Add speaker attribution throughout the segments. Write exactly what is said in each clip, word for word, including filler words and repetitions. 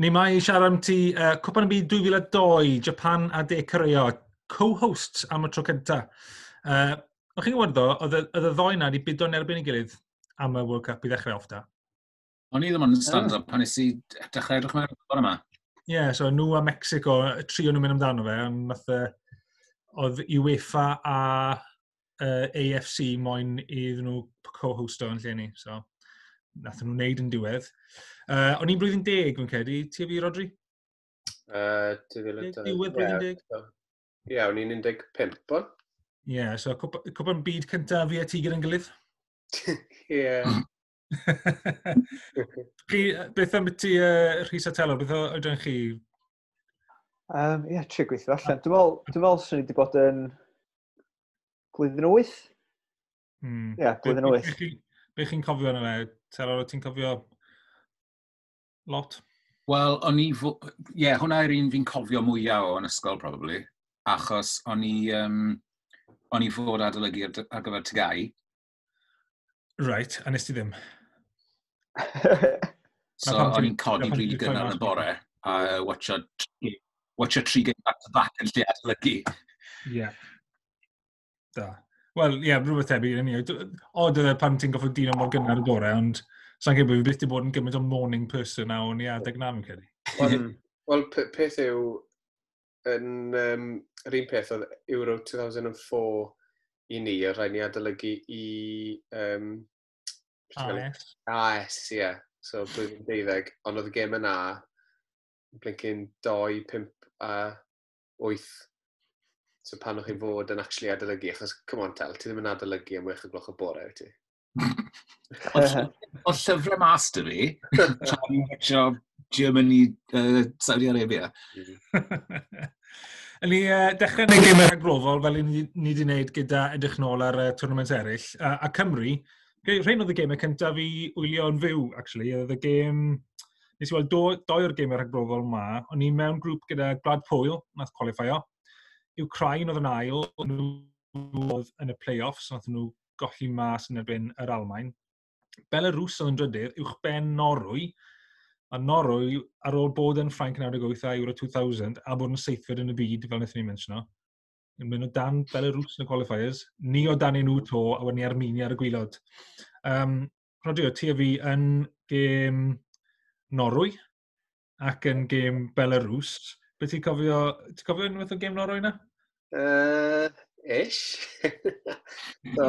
Speaker 1: Ni mae i siarad am ti uh, Cwpan y Byd dwy fil a dau, Japan a De Corea, co-hosts am y tro cynta. Uh, O'ch chi'n gwybod ddo, oedd y oedd y ddoi na wedi bido yn erbyn ei gilydd am y World Cup i ddechrau off da.
Speaker 2: O'n i ddim ond yn stand-up pan nes i dechrau edrych mewn o'r yma.
Speaker 1: Ie, yeah, so nhw a Mexico, y tri o'n nhw'n mynd amdano fe, ond nath, uh, oedd UEFA a uh, A F C moyn iddyn nhw co-hosto yn lle ni. So, nath nhw wneud yn diwedd. Uh, o'n i'n blwyddyn deg, fi'n credu. Ti a fi, Rodri?
Speaker 3: Uh, dwy fil a dau.
Speaker 1: Diwedd blwyddyn deg?
Speaker 3: Ie, o'n i'n un deg pump o'n.
Speaker 1: Ie, yeah, so cwp- cwpan byd cyntaf fi a ti gyda'n gilydd.
Speaker 3: Ie.
Speaker 1: Chi, beth am ti, uh, Rhys a Telor, beth oedran chi?
Speaker 4: Um, Ie, trio gweithio allan. Dwi'n meddwl, dwi'n meddwl swn i wedi bod yn blwyddyn wyth.
Speaker 1: Hmm.
Speaker 4: Ie, blwyddyn wyth.
Speaker 1: Be chi- Be chi'n cofio yna fe? Telor, ti'n cofio lot?
Speaker 2: Wel, o'n i... Ie, yeah, hwnna yw'r un fi'n cofio mwyaf o yn ysgol, probably. Achos o'n i... Um, o'n i fod adolygu ar, ar gyfer T G A U.
Speaker 1: Right, a nes ti ddim?
Speaker 2: So
Speaker 1: pam
Speaker 2: o'n
Speaker 1: ti'n-
Speaker 2: i'n codi
Speaker 1: na pam
Speaker 2: rili
Speaker 1: ti'n rhoi
Speaker 2: gynnar yn
Speaker 1: mas
Speaker 2: y bore a watcho, watcho tri game back to back yn lle adolygu.
Speaker 1: Ie. Yeah. Da. Wel, ie, yeah, rhywbeth tebyg yn ni. Od oedd e pan ti'n goffod dino mor gynnar y bore, ond sa'n credu bod fi byth wedi bod yn gymaint o morning person na o'n i adeg na, fi'n credu.
Speaker 3: Wel, Wel, p- peth yw, yn um, yr un peth oedd Euro dwy fil a pedwar i ni, a rhaid ni adolygu i... Um,
Speaker 1: A S.
Speaker 3: A S, ie. Yeah. So, blwyddyn deuddeg. Ond oedd y gêm yna, blincyn dau, pump a wyth. So pan o'ch chi'n fod yn actually adolygu, achos, come on, Tel, ti ddim yn adolygu am wech o gloch o bore, wyt ti?
Speaker 2: Oedd llyfrau mas 'da fi, tra o'n i'n watcho Germany, uh, Saudi Arabia.
Speaker 1: Yn ni uh, dechrau neud gemau rhagbrofol fel ni, ni wedi wneud gyda edrych nôl ar uh, tournaments eraill. Uh, a Cymru, rhain oedd y gemau cyntaf i wylio yn fyw, actually. Oedd y gêm... Nes i weld do, doi o'r gemau rhagbrofol ma. O'n i mewn grŵp gyda Gwlad Pwyl, nath qualifio. Ukraine oedd yn ail, nhw oedd yn y play-offs, nath nhw golli mas yn erbyn yr Almain. Belarus oedd yn drydydd, uwch ben Norwy, a Norwy, ar ôl bod yn Ffrainc naw deg wyth a Euro dwy fil, a bod yn seithfed yn y byd, fel wnaethon ni mentiono, yn mynd o dan Belarus yn y qualifiers, ni o dan nhw to, a wedyn ni Armenia ar y gwaelod. Um, Rodri, ti a fi yn gêm Norwy ac yn gêm Belarus. Be ti'n cofio, ti'n cofio unwaith o gêm Norwy na?
Speaker 3: Uh, ish. So,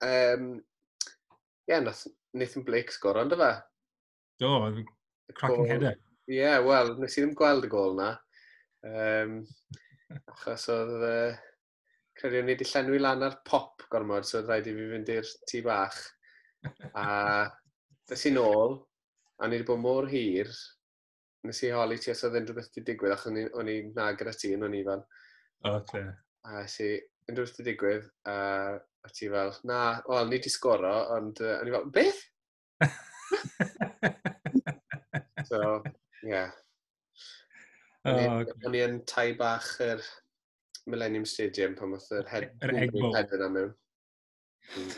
Speaker 3: um, ie, yeah, nath Nathan Blake sgoro, ynddo fe?
Speaker 1: Do, cracking header.
Speaker 3: Ie, yeah, wel, nes i ddim gweld y gol na. Um, achos oedd... Uh, credu o'n i wedi llenwi lan ar pop gormod, so oedd rhaid i fi fynd i'r tŷ bach. A des i nôl, a ni wedi bod mor hir, nes i holi ti os oedd unrhyw beth wedi digwydd, achos o'n i- o'n i na gyda ti yn o'n i fel.
Speaker 1: O, okay.
Speaker 3: A nes i, unrhyw beth wedi digwydd, a, a ti fel, na, wel, ni wedi sgoro, ond uh, o'n i fel, beth? So, ie. Yeah. O'n i-
Speaker 1: Oh,
Speaker 3: o'n i yn tai bach yr Millennium Stadium pan oedd yr head,
Speaker 1: Yr egg bowl.
Speaker 3: Head yna mewn. Mm.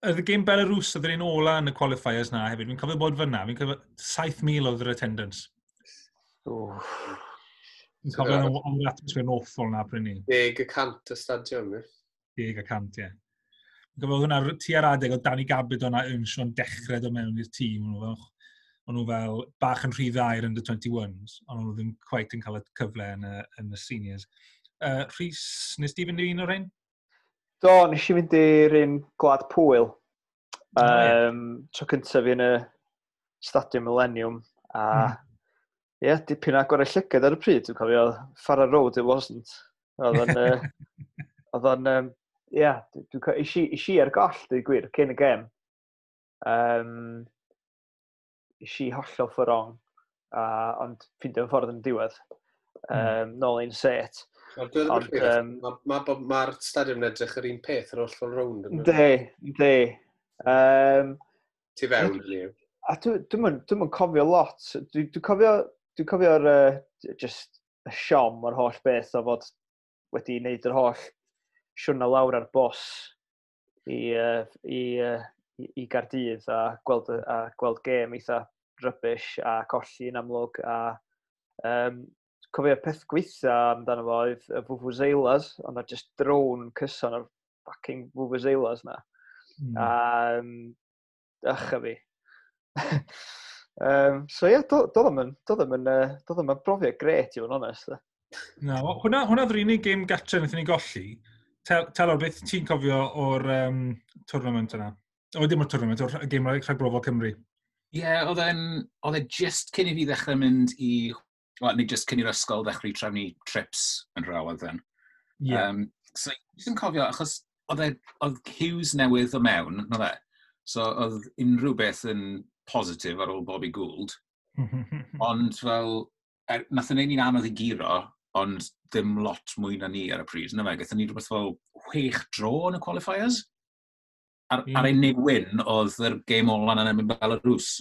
Speaker 1: Oedd y gêm Belarus oedd yr un ola yn y qualifiers na hefyd. Fi'n cofio bod fyna. Fi'n cofio saith mil oedd yr attendance. Fi'n cofio
Speaker 3: So,
Speaker 1: oedd yr atmosphere yn awful na pryd ni.
Speaker 3: Deg y cant y stadiwm, ie.
Speaker 1: Deg y cant, ie. Fi'n cofio oedd hwnna tua'r adeg oedd Danny Gabbidon a Earnshaw yn dechrau dod mewn i'r tîm. O'n nhw fel, o'n nhw fel bach yn rhy dda i'r under twenty-ones, ond o'n nhw ddim quite yn cael y cyfle yn y, yn y seniors. Uh, Rhys, nes di fynd i un o'r rhain?
Speaker 4: Do, nes i fynd i'r un Gwlad Pwyl.
Speaker 1: O, ie.
Speaker 4: Um, tro cyntaf fi yn y Stadiwm Millennium. A
Speaker 1: Mm.
Speaker 4: ie, yeah, dipyn agor y llygad ar y pryd, dwi'n cofio, Farrer Road it wasn't. Oedd o'n, uh, oedd o'n, um, ie, yeah, dwi'n co- is i, is i ar goll, dwi'n gwir, cyn y gem. Um, is i hollol for wrong, a, ond ffeindio ffordd yn y diwedd. Um, nôl un set.
Speaker 3: Ond dwi ddim yn
Speaker 4: Ond,
Speaker 3: rhywbeth,
Speaker 4: yym,
Speaker 3: Mae'r ma, ma, ma stadiwm yn edrych yr un peth yr holl ffordd rownd. Yn
Speaker 4: Yndi, yndi. Um,
Speaker 3: Tu fewn, hynny yw.
Speaker 4: A dwi'n dwi dwi cofio lot. Dwi'n dwi cofio, dwi cofio'r uh, just y siom o'r holl beth o fod wedi wneud yr holl siwrna lawr ar bws i, uh, i, uh, i, i Gardydd a gweld, y- a gweld gêm eitha rubbish a colli yn amlwg. A, um, cofio peth gweitha amdano fo oedd y vuvuzelas, ond na just drone cyson o'r fucking vuvuzelas na. Mm. A, um, ych a fi. um, so ie, yeah, doedd o'm yn, doedd o'm yn, doedd o'm yn brofiad gret i fod yn onest.
Speaker 1: Na, hwnna, hwnna oedd yr unig gêm gatre wnaethon ni golli. Tel, Telor, beth ti'n cofio o'r um, tournament yna? O, dim o'r tournament, o'r gêm rhagbrofol Cymru.
Speaker 2: Ie, yeah, oedd e'n, oedd e just cyn i fi ddechrau mynd i, well, neu just cyn i'r ysgol ddechrau trefnu trips yn rhywedd then. Ie. Yeah. Um, so, jyst yn cofio, achos oedd e, oedd Hughes newydd o mewn, no fe? So, oedd unrhyw beth yn positif ar ôl Bobby Gould. Ond fel, er, nath yn ein ni'n anodd i guro, ond ddim lot mwy na ni ar y pryd. Na fe, gaethon ni rhywbeth fel chwech dro yn y qualifiers. Ar, mm. ar ein win oedd yr game ola yn erbyn Belarus.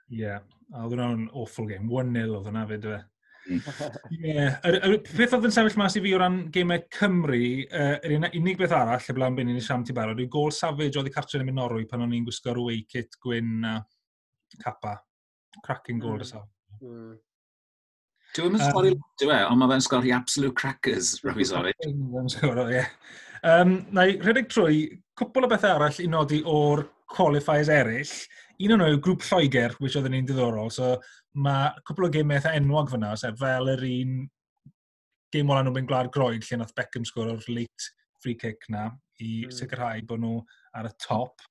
Speaker 1: Ie, yeah, a oedd hwnna'n awful game. un nil oedd hwnna fyd, fe. Ie, yr, peth oedd yn sefyll mas i fi o ran gemau Cymru, uh, yr unig beth arall, y blaen byn ni'n siam ti barod, yw gol Savage oedd i cartre yn mynd Norwy pan o'n i'n gwisgo'r away kit gwyn a capa. Cracking goal mm. y Savage. Mm.
Speaker 2: Dwi ddim yn sgori um, dwi e, ond mae fe'n sgori absolute crackers, Robbie Savage.
Speaker 1: Fe'n sgoro, ie. Um, na i rhedeg trwy cwpl o bethau arall i nodi o'r qualifiers eraill. Un o'n nhw yw grŵp Lloegr, which oedd yn un diddorol. So mae cwpl o gemau eitha enwog fyna, sef fel yr un gêm ola nhw'n mynd Gwlad Groeg, lle nath Beckham sgoro'r late free kick na i mm. sicrhau bod nhw ar y top.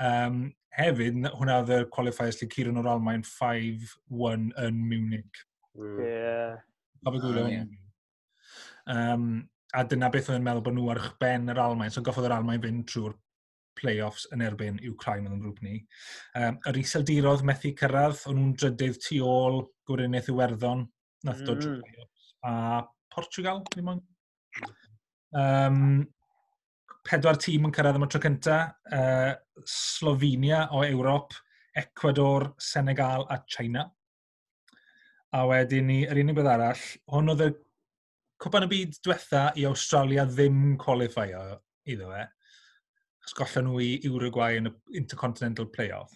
Speaker 1: Um, hefyd, hwnna oedd y qualifiers lle curon o'r Almain pump un yn Munich.
Speaker 4: Mm. Yeah.
Speaker 1: Cofio gwylio ah, yeah. Um, a dyna beth oedd yn meddwl bod nhw ar ben yr Almain. So goffodd yr Almain fynd trwy'r play-offs yn erbyn Ukraine oedd yn grŵp ni. Um, yr Iseldiroedd methu cyrraedd, o'n nhw'n drydydd tu ôl Gweriniaeth Iwerddon, nath dod mm. play-offs. A Portugal, ddim ond. Um, pedwar tîm yn cyrraedd am y tro cynta. Uh, Slovenia o Ewrop, Ecuador, Senegal a China. A wedyn ni, yr unig beth arall, hwn oedd y Cwpan y Byd diwetha i Australia ddim qualifio iddo fe. Achos gollon nhw i Uruguay yn y Intercontinental Playoff.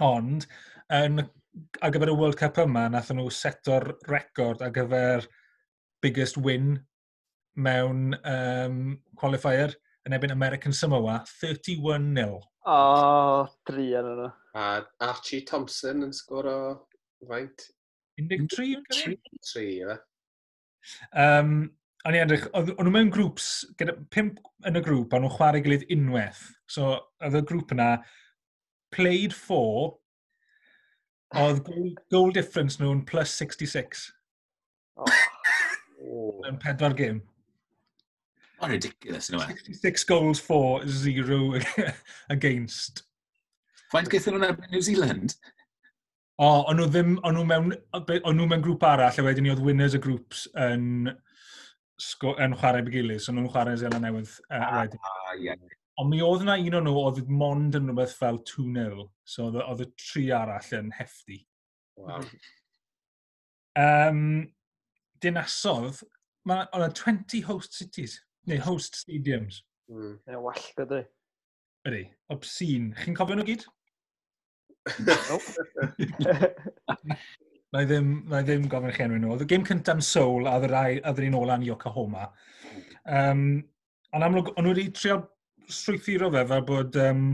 Speaker 1: Ond, yn, ar gyfer y World Cup yma, nath nhw seto'r record ar gyfer biggest win mewn um, qualifier yn erbyn American Samoa, tri un un.
Speaker 4: O, oh, tri yn yno.
Speaker 3: A Archie Thompson yn sgoro faint?
Speaker 1: un deg tri,
Speaker 3: yn Tri, ie.
Speaker 1: Um, o'n i edrych, o'n nhw mewn grŵps, gyda pump yn y grŵp, o'n nhw'n chwarae gilydd unwaith. So, oedd y grŵp yna, played four, oedd goal, goal difference nhw'n plus sixty-six.
Speaker 4: Oh.
Speaker 1: Mewn pedwar gêm.
Speaker 2: Oh, ridiculous, yn
Speaker 1: sixty-six goals for, zero against.
Speaker 2: Faint gaethon nhw'n erbyn New Zealand?
Speaker 1: O, o'n nhw ddim, o'n nhw mewn, o'n nhw mewn grŵp arall, a wedyn ni oedd winners y grŵps yn, yn chwarae gilydd, so nhw'n chwarae Zeland Newydd uh, wedyn.
Speaker 2: Ah, yeah.
Speaker 1: Ond mi oedd yna un o'n nhw oedd mond yn rhywbeth fel dau nil, so oedd y tri arall yn hefty.
Speaker 3: Wow.
Speaker 1: Um, dinasodd, mae yna twenty host cities, neu host stadiums.
Speaker 4: Mm. Mae'n wallgo, dwi.
Speaker 1: Ydy, obscene. Chi'n cofio nhw gyd?
Speaker 4: Nope.
Speaker 1: Na i ddim, na i ddim gofyn chi enw nhw. Oedd y gêm cyntaf yn Seoul a oedd yr un ola yn Yokohama. Um, ond amlwg, o'n nhw wedi trio strwythuro fe fel bod um,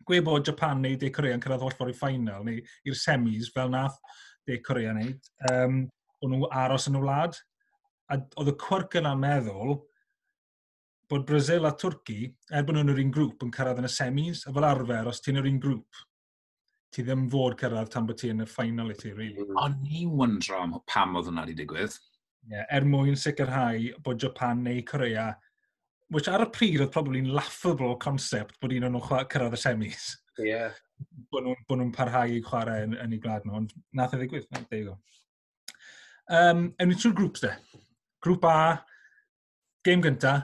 Speaker 1: gwe bod Japan neu De Korea yn cyrraedd holl ffordd i final neu i'r semis fel nath De Korea wneud. Um, o'n nhw aros yn y wlad. A oedd y quirk yna'n meddwl bod Brazil a Twrci, er bod nhw'n yr un grŵp, yn cyrraedd yn y semis, a fel arfer, os ti'n yr un grŵp, ti ddim fod cyrraedd tan bod ti yn y final i ti, really.
Speaker 2: Mm. O'n i'n wyndro am pam oedd hwnna wedi digwydd.
Speaker 1: Yeah, er mwyn sicrhau bod Japan neu Korea, which ar y pryd oedd probably laughable concept bod un o'n nhw'n cyrraedd y semis.
Speaker 3: Yeah.
Speaker 1: Bod nhw'n nhw parhau i chwarae yn, yn eu gwlad nhw, ond nath e ddigwydd. There you go. Um, ewn ni trwy'r grŵps de. Grŵp A, gêm gynta,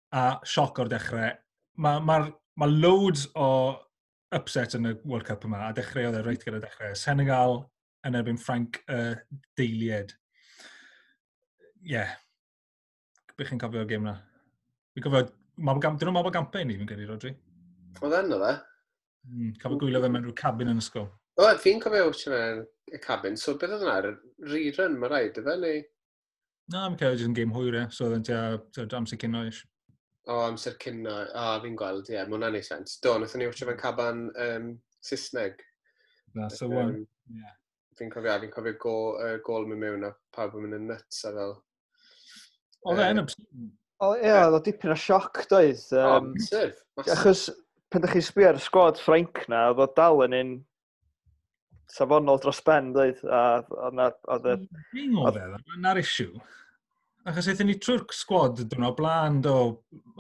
Speaker 1: a sioc o'r dechrau. Mae ma, ma loads o upset yn y World Cup yma, a dechreuodd e reit gyda dechrau. Senegal yn erbyn Ffrainc y uh, deilied. Ie. Yeah. Be chi'n cofio o'r gêm na? Fi'n cofio, dyn nhw'n mabon gampau ni, fi'n credu, Rodri.
Speaker 3: Oedd yn, oedd e?
Speaker 1: Mm, cofio gwylio fe mewn rhyw cabin yn ysgol.
Speaker 3: O, fi'n cofio watcho fe yn y cabin, so beth oedd yna? Rerun, mae rhaid, ife, neu?
Speaker 1: Na, mi'n cael jyst yn gêm hwyr, e, so oedd yn tua tua amser cino ish.
Speaker 3: O, amser cino. O, fi'n gweld, ie, yeah, mae hwnna'n neud sens. Do, wnaethon ni watcho fe'n caban um, Saesneg.
Speaker 1: That's the one. Um, yeah.
Speaker 3: Fi'n cofio, fi'n cofio go, uh, gol mynd mewn a pawb yn mynd yn nuts a fel.
Speaker 1: Oedd e'n obscene.
Speaker 4: O, ie, oedd o dipyn o sioc, doedd.
Speaker 3: O,
Speaker 4: Um,
Speaker 3: massive. Massive.
Speaker 4: Achos, pan ydych chi'n sbio ar y sgwad Ffrainc na, oedd o dal yn un safonol dros ben, doedd. A oedd na- oedd y...
Speaker 1: Fi'n oedd e, na'r issue. Achos aethon ni trwy'r sgwad diwrnod blaen, do,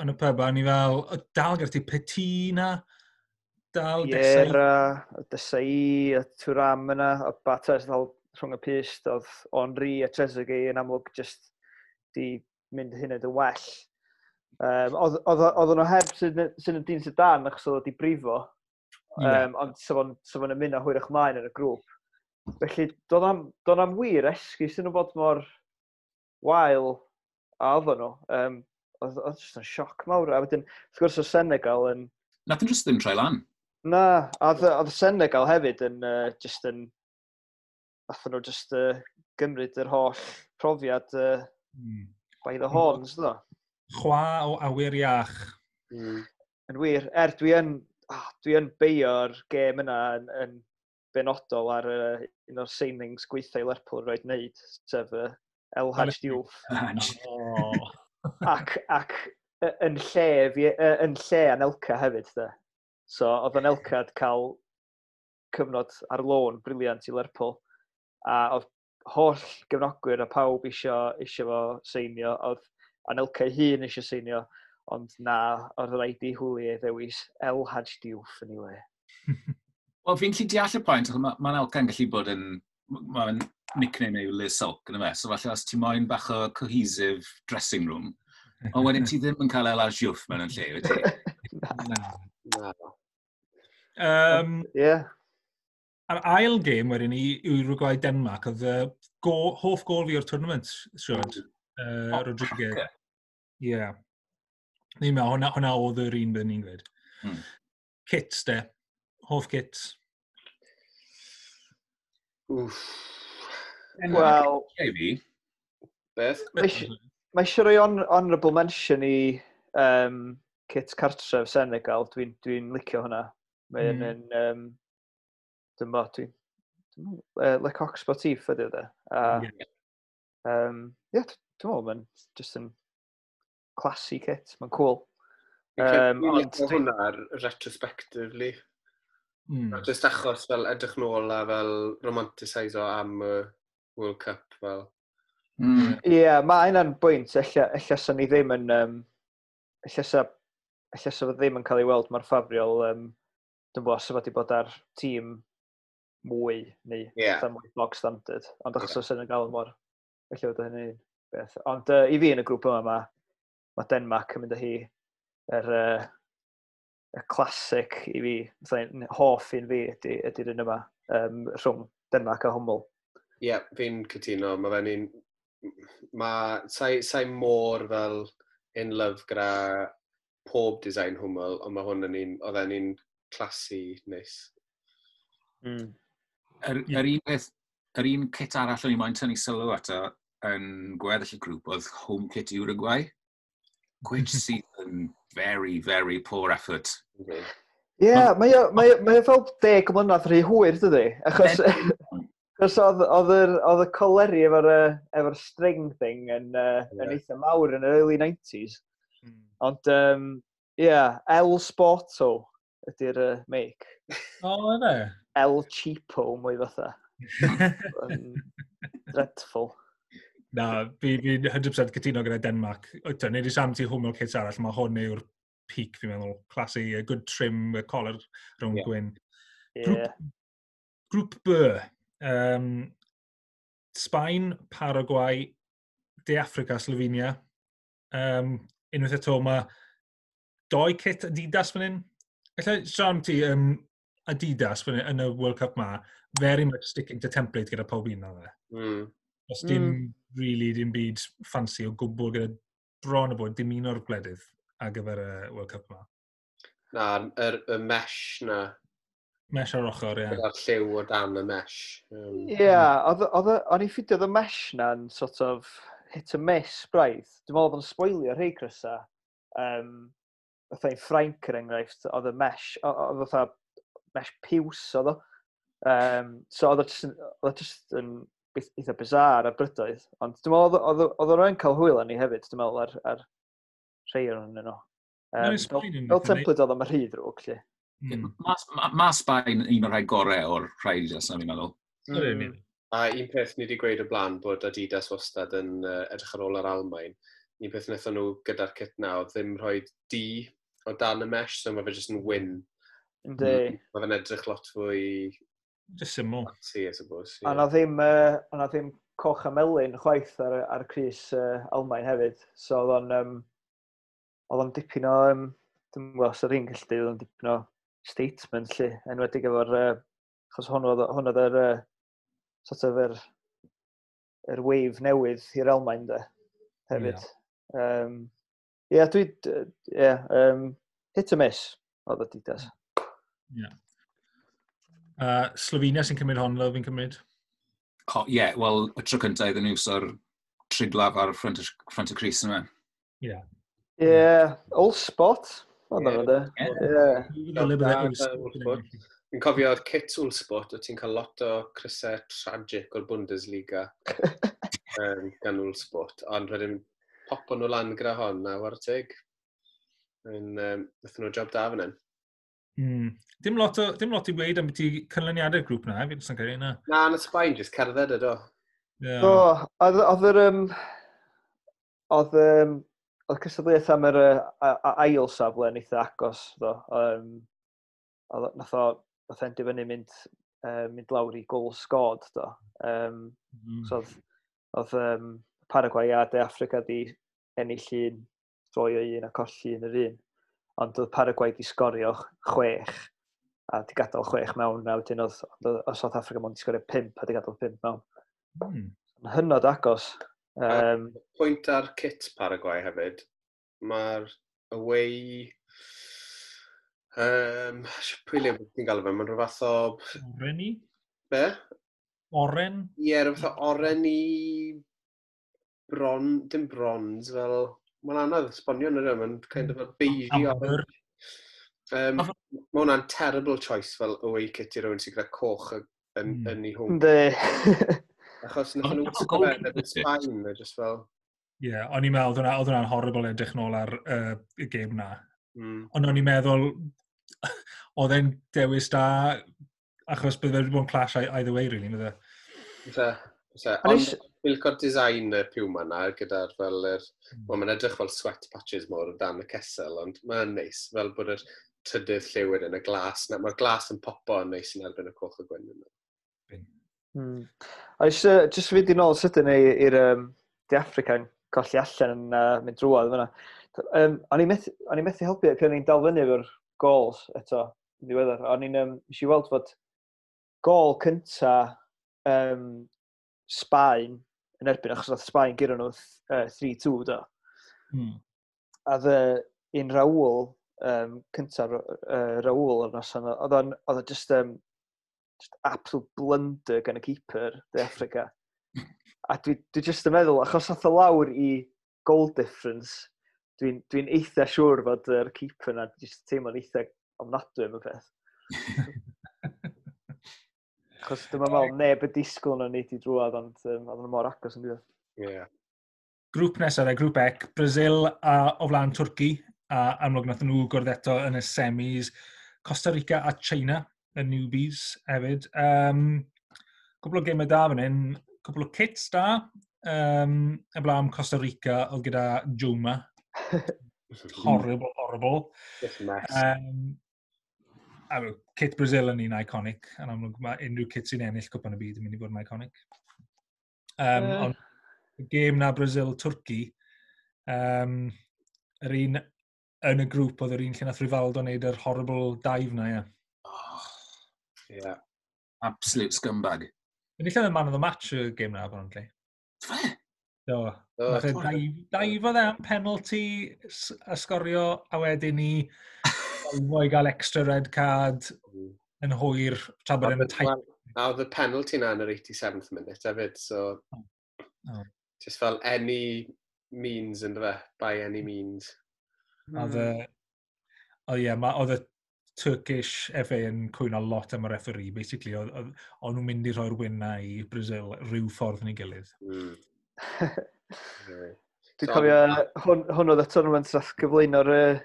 Speaker 1: yn y pub, a ni fel, o, dal gyda ti Petit na, dal Desai.
Speaker 4: Piera, y Desai, y Thuram yna, y Barthez ddal rhwng y pyst, oedd Henry a Trezeguet yn amlwg just di mynd hyn yn well. Um, oedd oedd- oedd nhw heb Zinedine Zidane achos oedd o di brifo,
Speaker 1: Ie.
Speaker 4: um, ond sa fo'n sa fo'n ymuno hwyrach mlaen yn y grŵp. Felly, doedd am, doedd am wir esgus yn nhw bod mor wael a oedden nhw. Um, oedd oedd just yn sioc mawr. A wedyn, wrth gwrs, o Senegal yn...
Speaker 2: Nath nhw just ddim troi lan.
Speaker 4: Na, a oedd oedd Senegal hefyd yn uh, just yn... Nathon nhw just uh, gymryd yr holl profiad uh,
Speaker 1: Mm.
Speaker 4: by the horns, do.
Speaker 1: Chwa o awyr iach.
Speaker 3: Mm.
Speaker 4: Yn wir, er dwi yn, oh, dwi yn beio'r gêm yna yn, yn benodol ar uh, un o'r signings gweitha i Lerpwl roed wneud, sef uh, El Hadj Diouf.
Speaker 1: Oh.
Speaker 4: ac, ac y- yn lle, fi, yy, yn lle Anelka hefyd, de. So, oedd Anelka wedi cael cyfnod ar lôn brilliant i Lerpwl. A oedd holl gefnogwyr a pawb isio, isio fo seinio. Oedd Anelka ei hun isio seinio, ond na, oedd rhaid i Houllier ddewis El Hadj Diouf yn ei le.
Speaker 2: Wel, fi'n gallu deall y pwynt, achos mae ma Anelka'n gallu bod yn... Mae'n nickname yw Le Sulk, yn y So falle os ti moyn bach o cohesive dressing room, ond wedyn ti ddim yn cael El Hadj Diouf mewn yn lle, wyt ti?
Speaker 1: Na.
Speaker 3: Na.
Speaker 1: Um,
Speaker 4: Ie. Yeah.
Speaker 1: A'r ail gêm wedyn ni, Uruguay Denmark, oedd y go, hoff gol fi o'r tournament, siwr. Uh,
Speaker 2: Oh,
Speaker 1: Rodriguez.
Speaker 2: ocê.
Speaker 1: Ie. Yeah. Ni'n meddwl, hwnna, hwnna oedd yr un byddwn ni'n gweud.
Speaker 2: Hmm.
Speaker 1: Kits, de. Hoff kits.
Speaker 3: Wff.
Speaker 4: Wel,
Speaker 2: Ei fi.
Speaker 3: Beth?
Speaker 4: Mae mae eisiau rhoi hon honourable mention i um, kit cartref Senegal. Dwi'n dwi licio hwnna. Mae'n
Speaker 1: Mm.
Speaker 4: mm. yn... Um, dwi'n bo, dwi'n... Dwi'n uh, Le Coq Sportif ydy o de. A,
Speaker 1: Ie.
Speaker 4: um, yeah, dwi'n meddwl mae'n just yn classy kit. Mae'n cool.
Speaker 3: Fi'n credu
Speaker 4: Um,
Speaker 3: fi'n
Speaker 4: ond
Speaker 3: licio
Speaker 4: dwi-
Speaker 3: hwnna ar retrospectively.
Speaker 1: Mm.
Speaker 3: Just achos fel edrych nôl a fel romanticiso am y World Cup fel.
Speaker 2: Mm.
Speaker 4: Ie, yeah, mae hynna'n bwynt. Ella, ella sa ni ddim yn... Um, ella sa, ella sa fo ddim yn cael ei weld mor ffafriol. Um, dwi'n bo, sa fo wedi bod ar tîm mwy neu
Speaker 3: Ie.
Speaker 4: yeah. mwy bog standard. Ond achos yeah. Senegal yn mor... Ella fod hynny'n beth. Ond uh, i fi yn y grŵp yma, mae ma Denmark yn mynd â hi yr, uh, y classic i fi, fatha, hoff un fi ydy, ydy'r un yma, um, rhwng Denmark a Hummel.
Speaker 3: Ie, yeah, fi'n cytuno. Mae fe'n un... Mae... Sai, sai mor fel in love gyda pob design Hummel, ond mae hwn yn un... Oedd e'n un classy neis.
Speaker 4: Mm.
Speaker 2: Yr,
Speaker 1: Ie.
Speaker 2: yr un peth, yr un kit arall o'n i moyn tynnu sylw ato yn gweddill y grŵp oedd home kit Uruguay, which sydd yn very, very poor effort.
Speaker 3: Okay.
Speaker 4: Ie, yeah, mae o, mae, o- mae o fel deg mlynedd rhy hwyr, dydy? Achos, achos oedd, oedd, yr, oedd y coleri efo'r, yy, efo'r string thing yn, uh, yn
Speaker 3: Ie.
Speaker 4: eitha mawr yn yr early nineties.
Speaker 1: Mm.
Speaker 4: Ond, um, yeah, El Sporto ydy'r uh, make.
Speaker 1: O, efe?
Speaker 4: El Cheapo mwy fatha. Um, dreadful.
Speaker 1: Na, fi fi'n cant y cant cytuno gyda Denmark. Wyt, nid i sam ti Hummel kits arall, mae hwn yw'r peak, fi'n meddwl. Classy, a good trim, y collar rownd
Speaker 3: Ie.
Speaker 1: gwyn.
Speaker 4: Yeah.
Speaker 1: Grŵp B. Um, Sbaen, Paraguay, De Africa, Slovenia. Um, unwaith eto, mae doi kit Adidas fan hyn. Alla, Sean, ti, um, Adidas fan hyn, yn y World Cup ma, very much sticking to template gyda pob un o fe.
Speaker 3: Mm.
Speaker 1: Os dim mm. really dim byd fancy o gwbl gyda bron o bod dim un o'r gwledydd ar gyfer y World Cup ma.
Speaker 3: Na, yr, y mesh na.
Speaker 1: Mesh ar ochr, ie. Yeah.
Speaker 3: Gyda'r lliw o dan y mesh.
Speaker 4: Ie, um, yeah, oedd o'n i ffidio oedd y mesh na'n sort of hit a miss braidd. Dwi'n meddwl oedd o'n spoilio rhai crysa. Um, fatha i'n Ffrainc er enghraifft, oedd y mesh, oedd fatha mesh piws oedd o. Um, so oedd o just, oedd o just yn eitha bizarre ar brydoedd. Ond dwi'n meddwl oedd oedd o'n cael hwyl arni hefyd, dwi'n meddwl, ar, ar rhai o'n nhw. Um, fel, fel template oedd o'n rhy ddrwg, lle.
Speaker 2: Mm. Mae ma, ma Sbaen un o'r rhai gorau o'r rhai Adidas na, fi'n meddwl.
Speaker 3: Mm. A un peth ni wedi gweud o blaen bod Adidas wastad yn uh, edrych ar ôl yr Almain. Un peth wnaethon nhw gyda'r kit na oedd ddim rhoi D o dan y mesh, so mae fe jyst yn wyn.
Speaker 4: Yndi.
Speaker 3: Mm. Mae fe'n edrych lot fwy...
Speaker 1: Just syml.
Speaker 3: Fancy, I suppose. Yeah.
Speaker 4: A na ddim, uh, na ddim coch a melyn chwaith ar, ar crys uh, Almain hefyd. So oedd o'n, um, oedd o'n dipyn o, um, dwi'n gwybod os oedd hi'n gallu dweud, oedd o'n dipyn o statement lle, enwedig efo'r, uh, achos hwn oedd, hwn oedd yr, uh, sort of yr, yr wave newydd i'r Almain de, hefyd. Yeah. Um, yeah, dwi, yeah, um, hit or miss oedd Adidas.
Speaker 1: Yeah. Uh, Slovenia sy'n cymryd hon, fel fi'n cymryd?
Speaker 2: Ie, oh, yeah, wel, y tro cyntaf iddyn nhw so'r triglav ar ffrant y, ffrant y crys yma.
Speaker 1: Ie. Yeah.
Speaker 4: Yeah, Uhlsport. Oedd nhw, de.
Speaker 3: Ie. Fi'n cofio kit Uhlsport, o ti'n cael lot o crysau tragic o'r Bundesliga um, gan Uhlsport. Ond wedyn popo nhw lan gyda hon a war teg. Yn, um, nathon nhw job da fan hyn.
Speaker 1: Mm. Dim lot, o, dim lot i weid am beth i canlyniadau'r grŵp na, fi'n sy'n credu na.
Speaker 3: Na, na Sbaen, jyst cerdded ydw.
Speaker 1: Yeah.
Speaker 4: Do, oedd oedd yr... Um, oedd, um, oedd cystadleuaeth am yr uh, ail safle yn eitha agos, do. Um, oedd, nath o, nath e'n dibynnu mynd, uh, mynd lawr i goal scored, do. Um, mm. So oedd, oedd um, Paraguay a De Africa di ennill un, droi o un a colli un yr un. Ond oedd Paraguay di sgorio chwech a di gadael chwech mewn, a wedyn oedd, oedd South Africa mond di sgorio pump a di gadael pump mewn.
Speaker 1: Mm.
Speaker 4: Hynod agos. Um,
Speaker 3: Pwynt ar kit Paraguay hefyd, mae'r away... Um, pwy le ti'n galw fe? Mae'n rhyw fath o...
Speaker 1: Oren i?
Speaker 3: Be?
Speaker 1: Oren?
Speaker 3: Ie, yeah, rhyw fath o oren i... Bron, dim bronze, fel... Mae'n anodd esbonio yn yr mae'n kind of a beige orange. Um, mae hwnna'n terrible choice fel away kit i rywun sy'n gyda coch yn, mm. yn ei hwn.
Speaker 4: Yndi.
Speaker 3: Achos nath nhw wisgo fe yn Sbaen, neu just fel...
Speaker 1: Ie, yeah, o'n i'n meddwl, oedd hwnna'n horrible edrych nôl ar uh, y gêm na.
Speaker 3: Mm.
Speaker 1: Ond o'n i'n meddwl, oedd e'n dewis da, achos bydde wedi bod yn clash either way, really, bydde.
Speaker 3: Fyse, fyse. Ond fi'n licio'r design y Puma na, gyda'r fel yr... Mm. Wel, mae'n edrych fel sweat patches mor o dan y cesel, ond mae'n neis, fel bod yr trydydd lliw wedyn, y glas. Mae'r glas yn popo yn neis yn erbyn y coch y gwyn yna.
Speaker 4: Mm. A eisiau, just fynd i nôl sydyn i'r um, De Africa yn colli allan yn uh, mynd drwodd fyna. Um, o'n i'n methu, o'n i'n methu helpu pan o'n i'n dal fyny efo'r goals eto, yn ddiweddar. O'n i'n, um, nes i weld fod gol cynta um, Sbaen yn erbyn, achos oedd Sbaen guro nhw uh, three two do.
Speaker 1: Mm.
Speaker 4: A dde un Raúl, um, cynta uh, Raúl o'r noson, oedd o'n, oedd o just, um, just absolute blunder gan y keeper De Africa. A dwi, dwi just yn meddwl, achos ath o lawr i goal difference, dwi'n dwi eitha siŵr fod yr keeper na just teimlo'n eitha ofnadwy am y peth. Achos dwi'n meddwl neb y disgwyl nhw'n neud i drwodd, ond um, oedd nhw mor agos yn diwedd.
Speaker 3: Yeah.
Speaker 1: Grŵp nesaf, grŵp E, Brazil a o flaen Twrci, a amlwg nath nhw gwrdd eto yn y semis. Costa Rica a China, y newbies hefyd. Um, cwpl o gemau da fan hyn, cwpl o kits da. Um, y blaen Costa Rica oedd gyda Joma. Horrible, horrible.
Speaker 3: Just mess.
Speaker 1: Um, a kit Brazil yn un iconic. Yn amlwg mae unrhyw kit sy'n ennill cwpan y byd yn mynd i fod yn iconic. Um, uh. Ond y gêm na Brazil-Twrci, um, yr un yn y grŵp oedd yr un lle nath Rivaldo wneud yr horrible dive na, ie.
Speaker 2: Oh,
Speaker 3: yeah.
Speaker 2: Absolute scumbag.
Speaker 1: Enillodd y man of the match y gêm na, apparently.
Speaker 2: Fe?
Speaker 1: Do.
Speaker 3: Do.
Speaker 1: Nath e dive o am penalty a sgorio, a wedyn ni i gael extra red card. Yn hwyr, tra bod e'n tight.
Speaker 3: A oedd y penalty na yn yr eighty-seventh minute hefyd, so
Speaker 1: Oh. Oh.
Speaker 3: Just fel any means yn fe, by any means.
Speaker 1: Oedd y... O ie, ma- oedd y Turkish F A yn cwyno lot am y referee, basically. Oedd oedd- oedd nhw'n mynd i rhoi'r win na i Brazil rhyw ffordd neu gilydd.
Speaker 3: Mm. Ie.
Speaker 4: Dwi'n
Speaker 3: So-
Speaker 4: cofio, hwn, hwn oedd y tournament nath gyflwyno'r uh,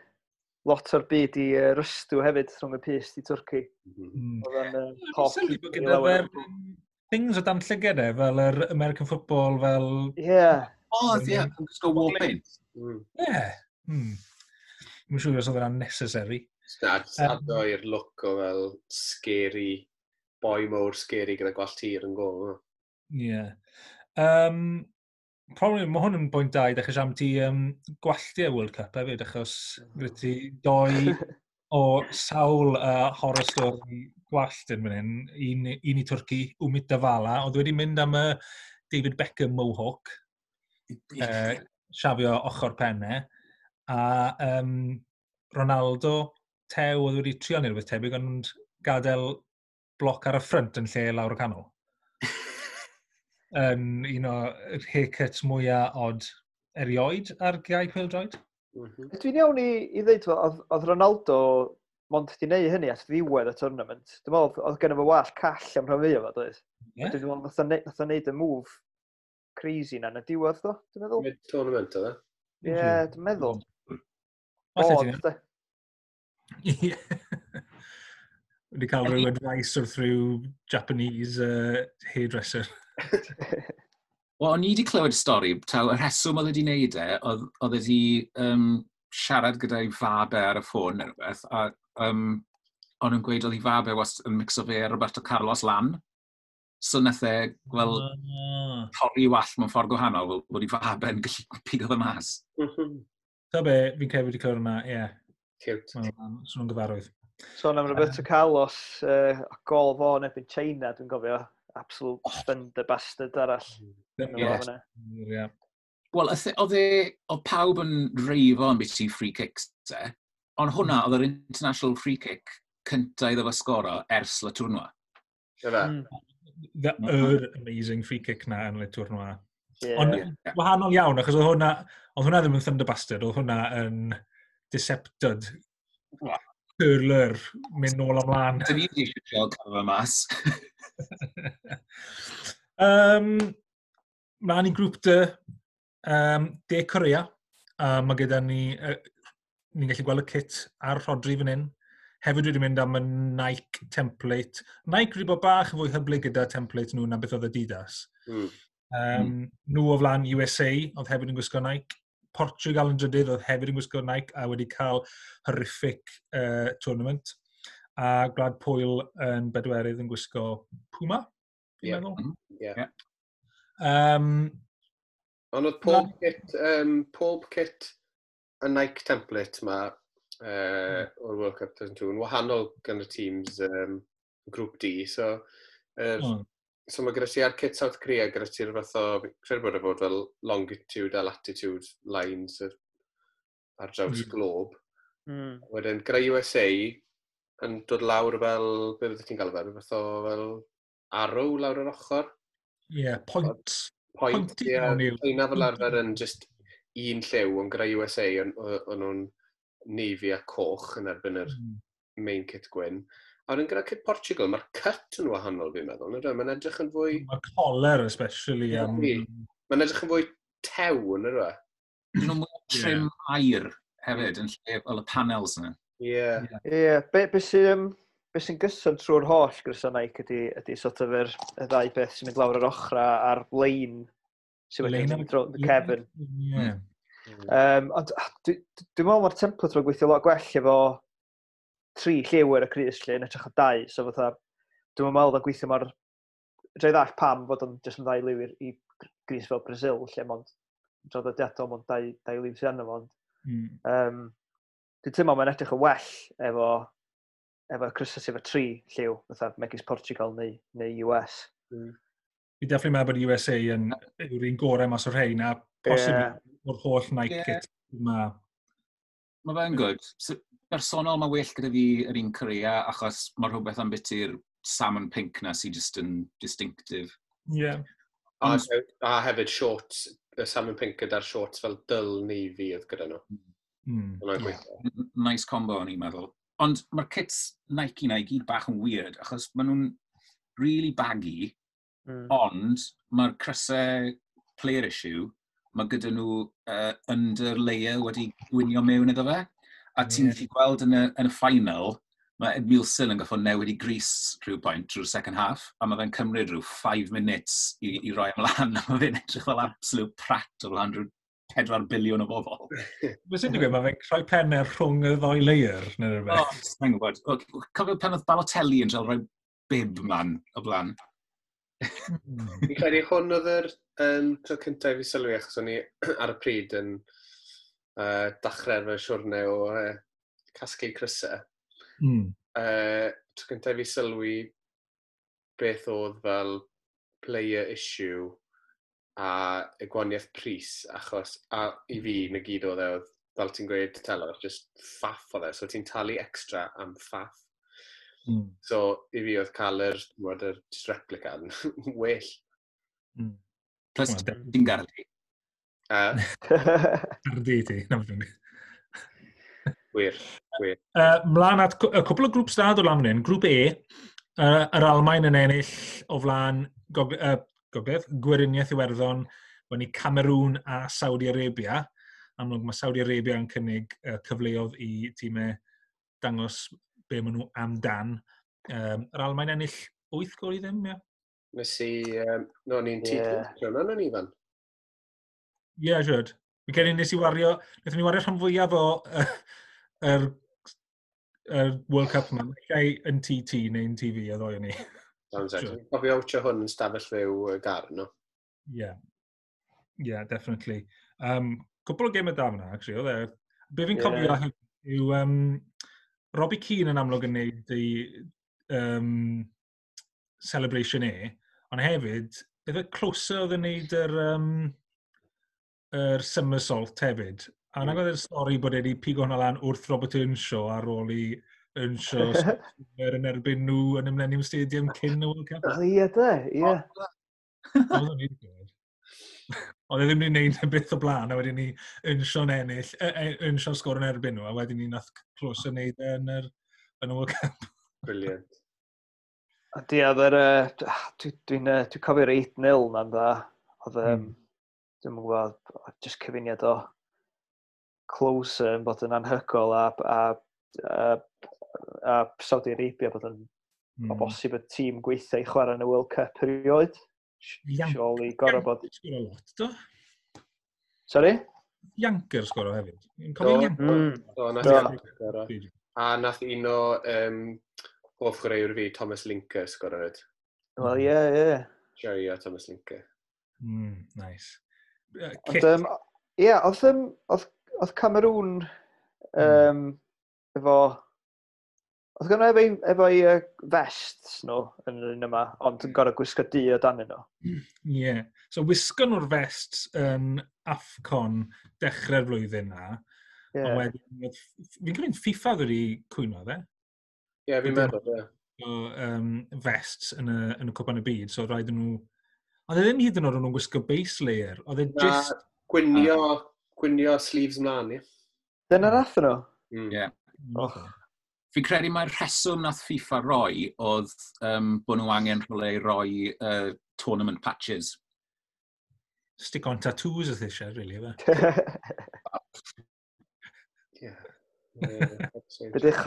Speaker 4: lot o'r byd i uh, rystw hefyd rhwng y pyst i Twrci.
Speaker 3: Mhm.
Speaker 1: Mm.
Speaker 4: Oedd o'n uh,
Speaker 1: Dwi'n
Speaker 4: hoff
Speaker 1: sylwi bod
Speaker 4: i
Speaker 1: gyda
Speaker 4: lawer.
Speaker 1: fe'r things o dan llygad e, fel yr American football, fel
Speaker 4: Ie.
Speaker 2: O, ie, yn gwisgo war paint.
Speaker 3: Mm.
Speaker 1: Ie. Yeah. Hmm. Dwi'n siŵr os oedd hwnna'n necessary.
Speaker 3: Na, just
Speaker 1: Yym.
Speaker 3: ado i'r look o fel scary, boi mowr scary gyda gwallt hir yn gol.
Speaker 1: Ie. Yeah. Um, probably, mae hwn yn bwynt da i ddechrau siarad am ti um, gwalltiau World Cup hefyd, achos gyda ti doi o sawl uh, horror story gwallt yn fan hyn. Un, un i Twrci, Umit Davala, oedd wedi mynd am y David Beckham Mohawk, uh, siafio ochr pennau, a um, Ronaldo, tew, oedd wedi trio neud rhywbeth tebyg, ond gadael bloc ar y ffrynt yn lle lawr y canol. Yn un o'r haircuts mwyaf od erioed ar gae pêl-droed.
Speaker 3: Mm -hmm.
Speaker 4: Dwi'n iawn i, i ddeud, fel, oedd, oedd Ronaldo mond di neud hynny at ddiwedd y tournament. Dwi'n meddwl, oedd gen fo wallt call am rhan fwyaf o, doedd?
Speaker 1: Ie?
Speaker 4: Dwi'n meddwl, nath o ne- nath o neud y move crazy na yn y diwedd, do, dwi'n meddwl.
Speaker 3: Mid-tournament oedd e?
Speaker 4: Ie, yeah, dwi'n meddwl.
Speaker 1: Falle
Speaker 4: Bod,
Speaker 1: ti'n
Speaker 4: de.
Speaker 1: Ie. Wedi cael rhyw advice wrth rhyw Japanese uh, hairdresser.
Speaker 2: Wel, o'n i wedi clywed stori, taw y rheswm oedd wedi wneud e, oedd, oedd wedi um, siarad gyda'i fab e ar y ffôn neu rhywbeth, a um, o'n nhw'n gweud oedd ei fab e wast yn mixo fe a Roberto Carlos lan. So nath e, fel,
Speaker 1: Ah.
Speaker 2: torri wallt mewn ffordd gwahanol, fel bod ei fab e'n gallu pigo fe mas.
Speaker 3: Mhm.
Speaker 1: Ta be, fi'n credu wedi clywed hwnna, ie.
Speaker 3: Cute.
Speaker 1: Wel, swn nhw'n gyfarwydd.
Speaker 4: Sôn am Roberto Carlos, uh, gol fo yn erbyn China, dwi'n gofio. Absolute oh. thunder bastard arall.
Speaker 1: Ie.
Speaker 4: Yes.
Speaker 1: Ie.
Speaker 2: Wel, oedd e, oedd pawb yn reifo am beth free kicks e, ond hwnna oedd yr international free kick cynta iddo fo sgoro ers Le Tournoi.
Speaker 3: Ife?
Speaker 4: Mm.
Speaker 1: The yr amazing free kick na yn Le Tournoi.
Speaker 4: Yeah.
Speaker 1: Ond
Speaker 2: Ie.
Speaker 1: wahanol iawn, achos oedd hwnna, oedd hwnna ddim yn thunder bastard, oedd hwnna yn decepted
Speaker 2: Wel.
Speaker 1: curler, mynd nôl ymlaen.
Speaker 2: Dyn ni wedi eisiau trio cael fe mas.
Speaker 1: um, mlaen i grŵp D, um, De Korea. A mae gyda ni, uh, ni'n gallu gweld y kit ar Rodri fan hyn. Hefyd wedi mynd am y Nike template. Nike wedi bod bach yn fwy hyblyg gyda template nhw na beth oedd Adidas.
Speaker 3: Mm.
Speaker 1: Um, mm. Nhw o flaen U S A, oedd hefyd yn gwisgo Nike. Portugal yn drydydd, oedd hefyd yn gwisgo Nike a wedi cael horrific uh, tournament. A Gwlad Pwyl yn bedwerydd yn gwisgo Puma, fi'n
Speaker 3: Ie.
Speaker 1: meddwl.
Speaker 3: Ie.
Speaker 2: Ie.
Speaker 1: Um,
Speaker 3: Ond oedd pob kit, um, pob kit y Nike template ma uh, o'r World Cup two thousand two yn wahanol gan y teams um, Grŵp D. So, er,
Speaker 1: oh,
Speaker 3: so mae gyda ti ar kit South Korea, gyda ti'r fath o, credu bod e fod fel longitude a latitude lines ar, ar draws
Speaker 1: Ie.
Speaker 3: globe.
Speaker 4: Mm.
Speaker 3: Wedyn, gyda U S A yn dod lawr fel, be fydde ti'n gael fe, rhyw fath o fel arrow lawr yr ochr.
Speaker 1: Yeah, point.
Speaker 3: Point,
Speaker 1: Pointy
Speaker 3: ie.
Speaker 1: iawn yw.
Speaker 3: China fel arfer yn just un lliw, ond gyda U S A o'n o'n nhw'n navy a coch yn erbyn yr
Speaker 1: Mm.
Speaker 3: main kit gwyn. A wedyn gyda kit Portugal, mae'r cut yn wahanol fi'n meddwl. Nid yw? Mae'n edrych yn fwy,
Speaker 1: Mae'r collar especially. Um,
Speaker 3: Ydi. Mae'n edrych yn fwy tew, yn yw e?
Speaker 2: Dyn nhw'n mwy o trim air hefyd, yn lle fel y panels yna.
Speaker 3: Ie.
Speaker 4: Ie, yeah, be, be sy'n um, be sy'n gyson trwy'r holl grysau Nike ydy, ydy sort of yr, y ddau beth sy'n mynd lawr yr ochra a'r lein sy'n wedi
Speaker 1: Lein
Speaker 4: mynd drwy cefn.
Speaker 1: Ie.
Speaker 4: Um, ond ah, dwi- dwi'n meddwl mae'r template mae'n gweithio lot gwell efo tri lliw ar y crys lle yn hytrach o dau. So fatha, dwi'n meddwl o'n gweithio mor. Dwi ddall pam fod o'n jyst yn ddau liw i'r- i gris fel Brazil, lle mond draddodiadol mond dau, dau liw sydd arno fo. Ond
Speaker 1: Mm.
Speaker 4: um, dwi'n teimlo mae'n edrych yn well efo efo crysau sydd efo tri lliw, fatha megis Portugal neu, neu U S.
Speaker 1: Fi definitely meddwl bod U S A yn yw'r un gorau mas o'r rhain, a posib
Speaker 4: Ie.
Speaker 1: o'r holl Nike
Speaker 2: Ie.
Speaker 1: kit yma.
Speaker 2: Mae fe'n good. So, Bersonol, mae well gyda fi yr un Korea, achos mae rhywbeth am biti'r salmon pink na sy'n just yn distinctive.
Speaker 1: Yeah.
Speaker 3: Ond, a, a hefyd shorts, y salmon pink gyda'r shorts fel dull navy oedd gyda nhw.
Speaker 1: Mm.
Speaker 2: Yeah. Nice combo, o'n i'n meddwl. Ond mae'r kits Nike na i gyd bach yn weird, achos maen nhw'n really baggy, mm. ond mae'r crysau player issue, mae gyda nhw uh, under layer wedi gwinio mewn iddo fe. A ti'n yeah. gallu gweld yn y, yn y final, mae Edmilson yn goffo newid i grys rhyw pwynt drwy'r second half, a mae fe'n cymryd rhyw five minutes i, i roi ymlaen, a mae fe'n edrych fel absolute prat o flaen rhyw pedwar biliwn o bobl.
Speaker 1: Be sy'n digwydd, mae fe'n rhoi pennau rhwng y ddou layer, neu rhywbeth?
Speaker 2: O, sa'n gwybod. Cofio pan oedd Balotelli yn cael rhoi bib ymlaen o blaen.
Speaker 3: Fi'n credu hwn oedd yr um, tro cyntaf i fi sylwi, achos o'n i ar y pryd yn uh, dechrau fy siwrne o uh, casglu crysau.
Speaker 1: Mm.
Speaker 3: Uh, tro cyntaf i fi sylwi beth oedd fel player issue a y gwahaniaeth pris, achos a i fi na gyd oedd e, oedd, fel ti'n gweud, Telor, just faff oedd e, so ti'n talu extra am faff.
Speaker 1: Mm.
Speaker 3: So i fi oedd cael yr, mod, yr just replica yn well.
Speaker 1: Mm.
Speaker 2: Plus, ti'n gardi.
Speaker 3: Uh,
Speaker 1: Gardi ti, na beth.
Speaker 3: Wir, wir.
Speaker 1: Uh, mlaen at y cwpl o grŵps da dod lan fan hyn. Grŵp E, uh, yr Almaen yn ennill o flaen Gog uh, Gogledd, Gweriniaeth Iwerddon, fyny Cameroon a Saudi Arabia. Amlwg mae Saudi Arabia yn cynnig uh, cyfleoedd i tîmau dangos be maen nhw amdan. Um, yr Almaen ennill wyth gol i ddim, ie?
Speaker 3: Nes i, um, no, ni'n tîm yeah. Hwnna, o'n Ifan?
Speaker 1: Ie, yeah, siwr. Fi'n credu nes i wario, wnaethon ni wario rhan fwyaf o uh, yr, yr World Cup yma. Llai yn T T neu'n T V a ddoi o'n ni.
Speaker 3: Sounds like. Fi'n cofio wtio hwn yn stafell fyw y gar, no?
Speaker 1: Yeah. Yeah, definitely. Um, cwpl o gemau da fyna, actually, oedd e. Be fi'n cofio yeah. yw um, Robbie Keane yn amlwg yn neud ei um, celebration e, ond hefyd, efe Klose oedd yn neud yr, um, yr somersault hefyd. A mm. oedd y stori bod e wedi pigo hwnna lan wrth Robert Earnshaw ar ôl i Earnshaw sgorio yn erbyn nhw yn y Millennium Stadium cyn y World Cup.
Speaker 4: O, ie, de, ie.
Speaker 1: Oedd o'n wedi gwybod. Oedd e ddim wedi gwneud y beth o blaen, a wedyn ni Earnshaw'n ennill, Earnshaw sgor yn erbyn nhw, a wedyn ni nath Klose wneud e yn, yr, yn y World Cup.
Speaker 3: Brilliant.
Speaker 4: Di, oedd yr, dwi'n dwi, dwi cofio'r eight nil na'n dda. Oedd, um, mm. dwi'n gwybod, just cyfuniad o Klose yn bod yn anhygoel a, a, a, a Saudi Arabia bod yn mm. o bosib y tîm gweithio i chwarae yn y World Cup erioed. Surely gorau bod.
Speaker 1: Sgoro lot, do?
Speaker 4: Sorry?
Speaker 1: Jancker sgoro hefyd. Yn cofio Jancker?
Speaker 4: Mm.
Speaker 3: Do, nath Jancker sgoro. A nath un o um, hoff chwaraewr fi, Thomas Linke, sgoro hefyd.
Speaker 4: Wel, ie, ie.
Speaker 3: Joio Thomas Linke.
Speaker 1: Mm, nice. Uh,
Speaker 4: Ond, um, ie, oedd, um, oedd, oedd Cameroon um, mm. efo. Oedd gynnu efo, efo i uh, vests nhw yn yr un yma, ond yn gorau gwisgo du o dan nhw.
Speaker 1: Ie. Yeah. So wisgo nhw'r vests yn AFCON dechrau'r flwyddyn na. Yeah. Ond wedyn, fi'n credu'n FIFA ddod i cwyno fe.
Speaker 3: Ie, yeah, fi'n meddwl, ie.
Speaker 1: So, um, vests yn y, yn y Cwpan y Byd, so rhaid nhw. Ond e ddim hyd yn oed o'n nhw'n gwisgo base layer. Oedd e just.
Speaker 3: Gwynio, gwynio sleeves mlaen, ie.
Speaker 4: Dyna nath nhw?
Speaker 3: Ie.
Speaker 2: Mm. Yeah. Oh. Fi'n credu mai'r rheswm nath FIFA roi oedd um, bod nhw angen rhywle i roi uh, tournament patches.
Speaker 1: Stick on tattoos oedd eisiau, really, efe?
Speaker 3: Yeah.
Speaker 4: Be di'ch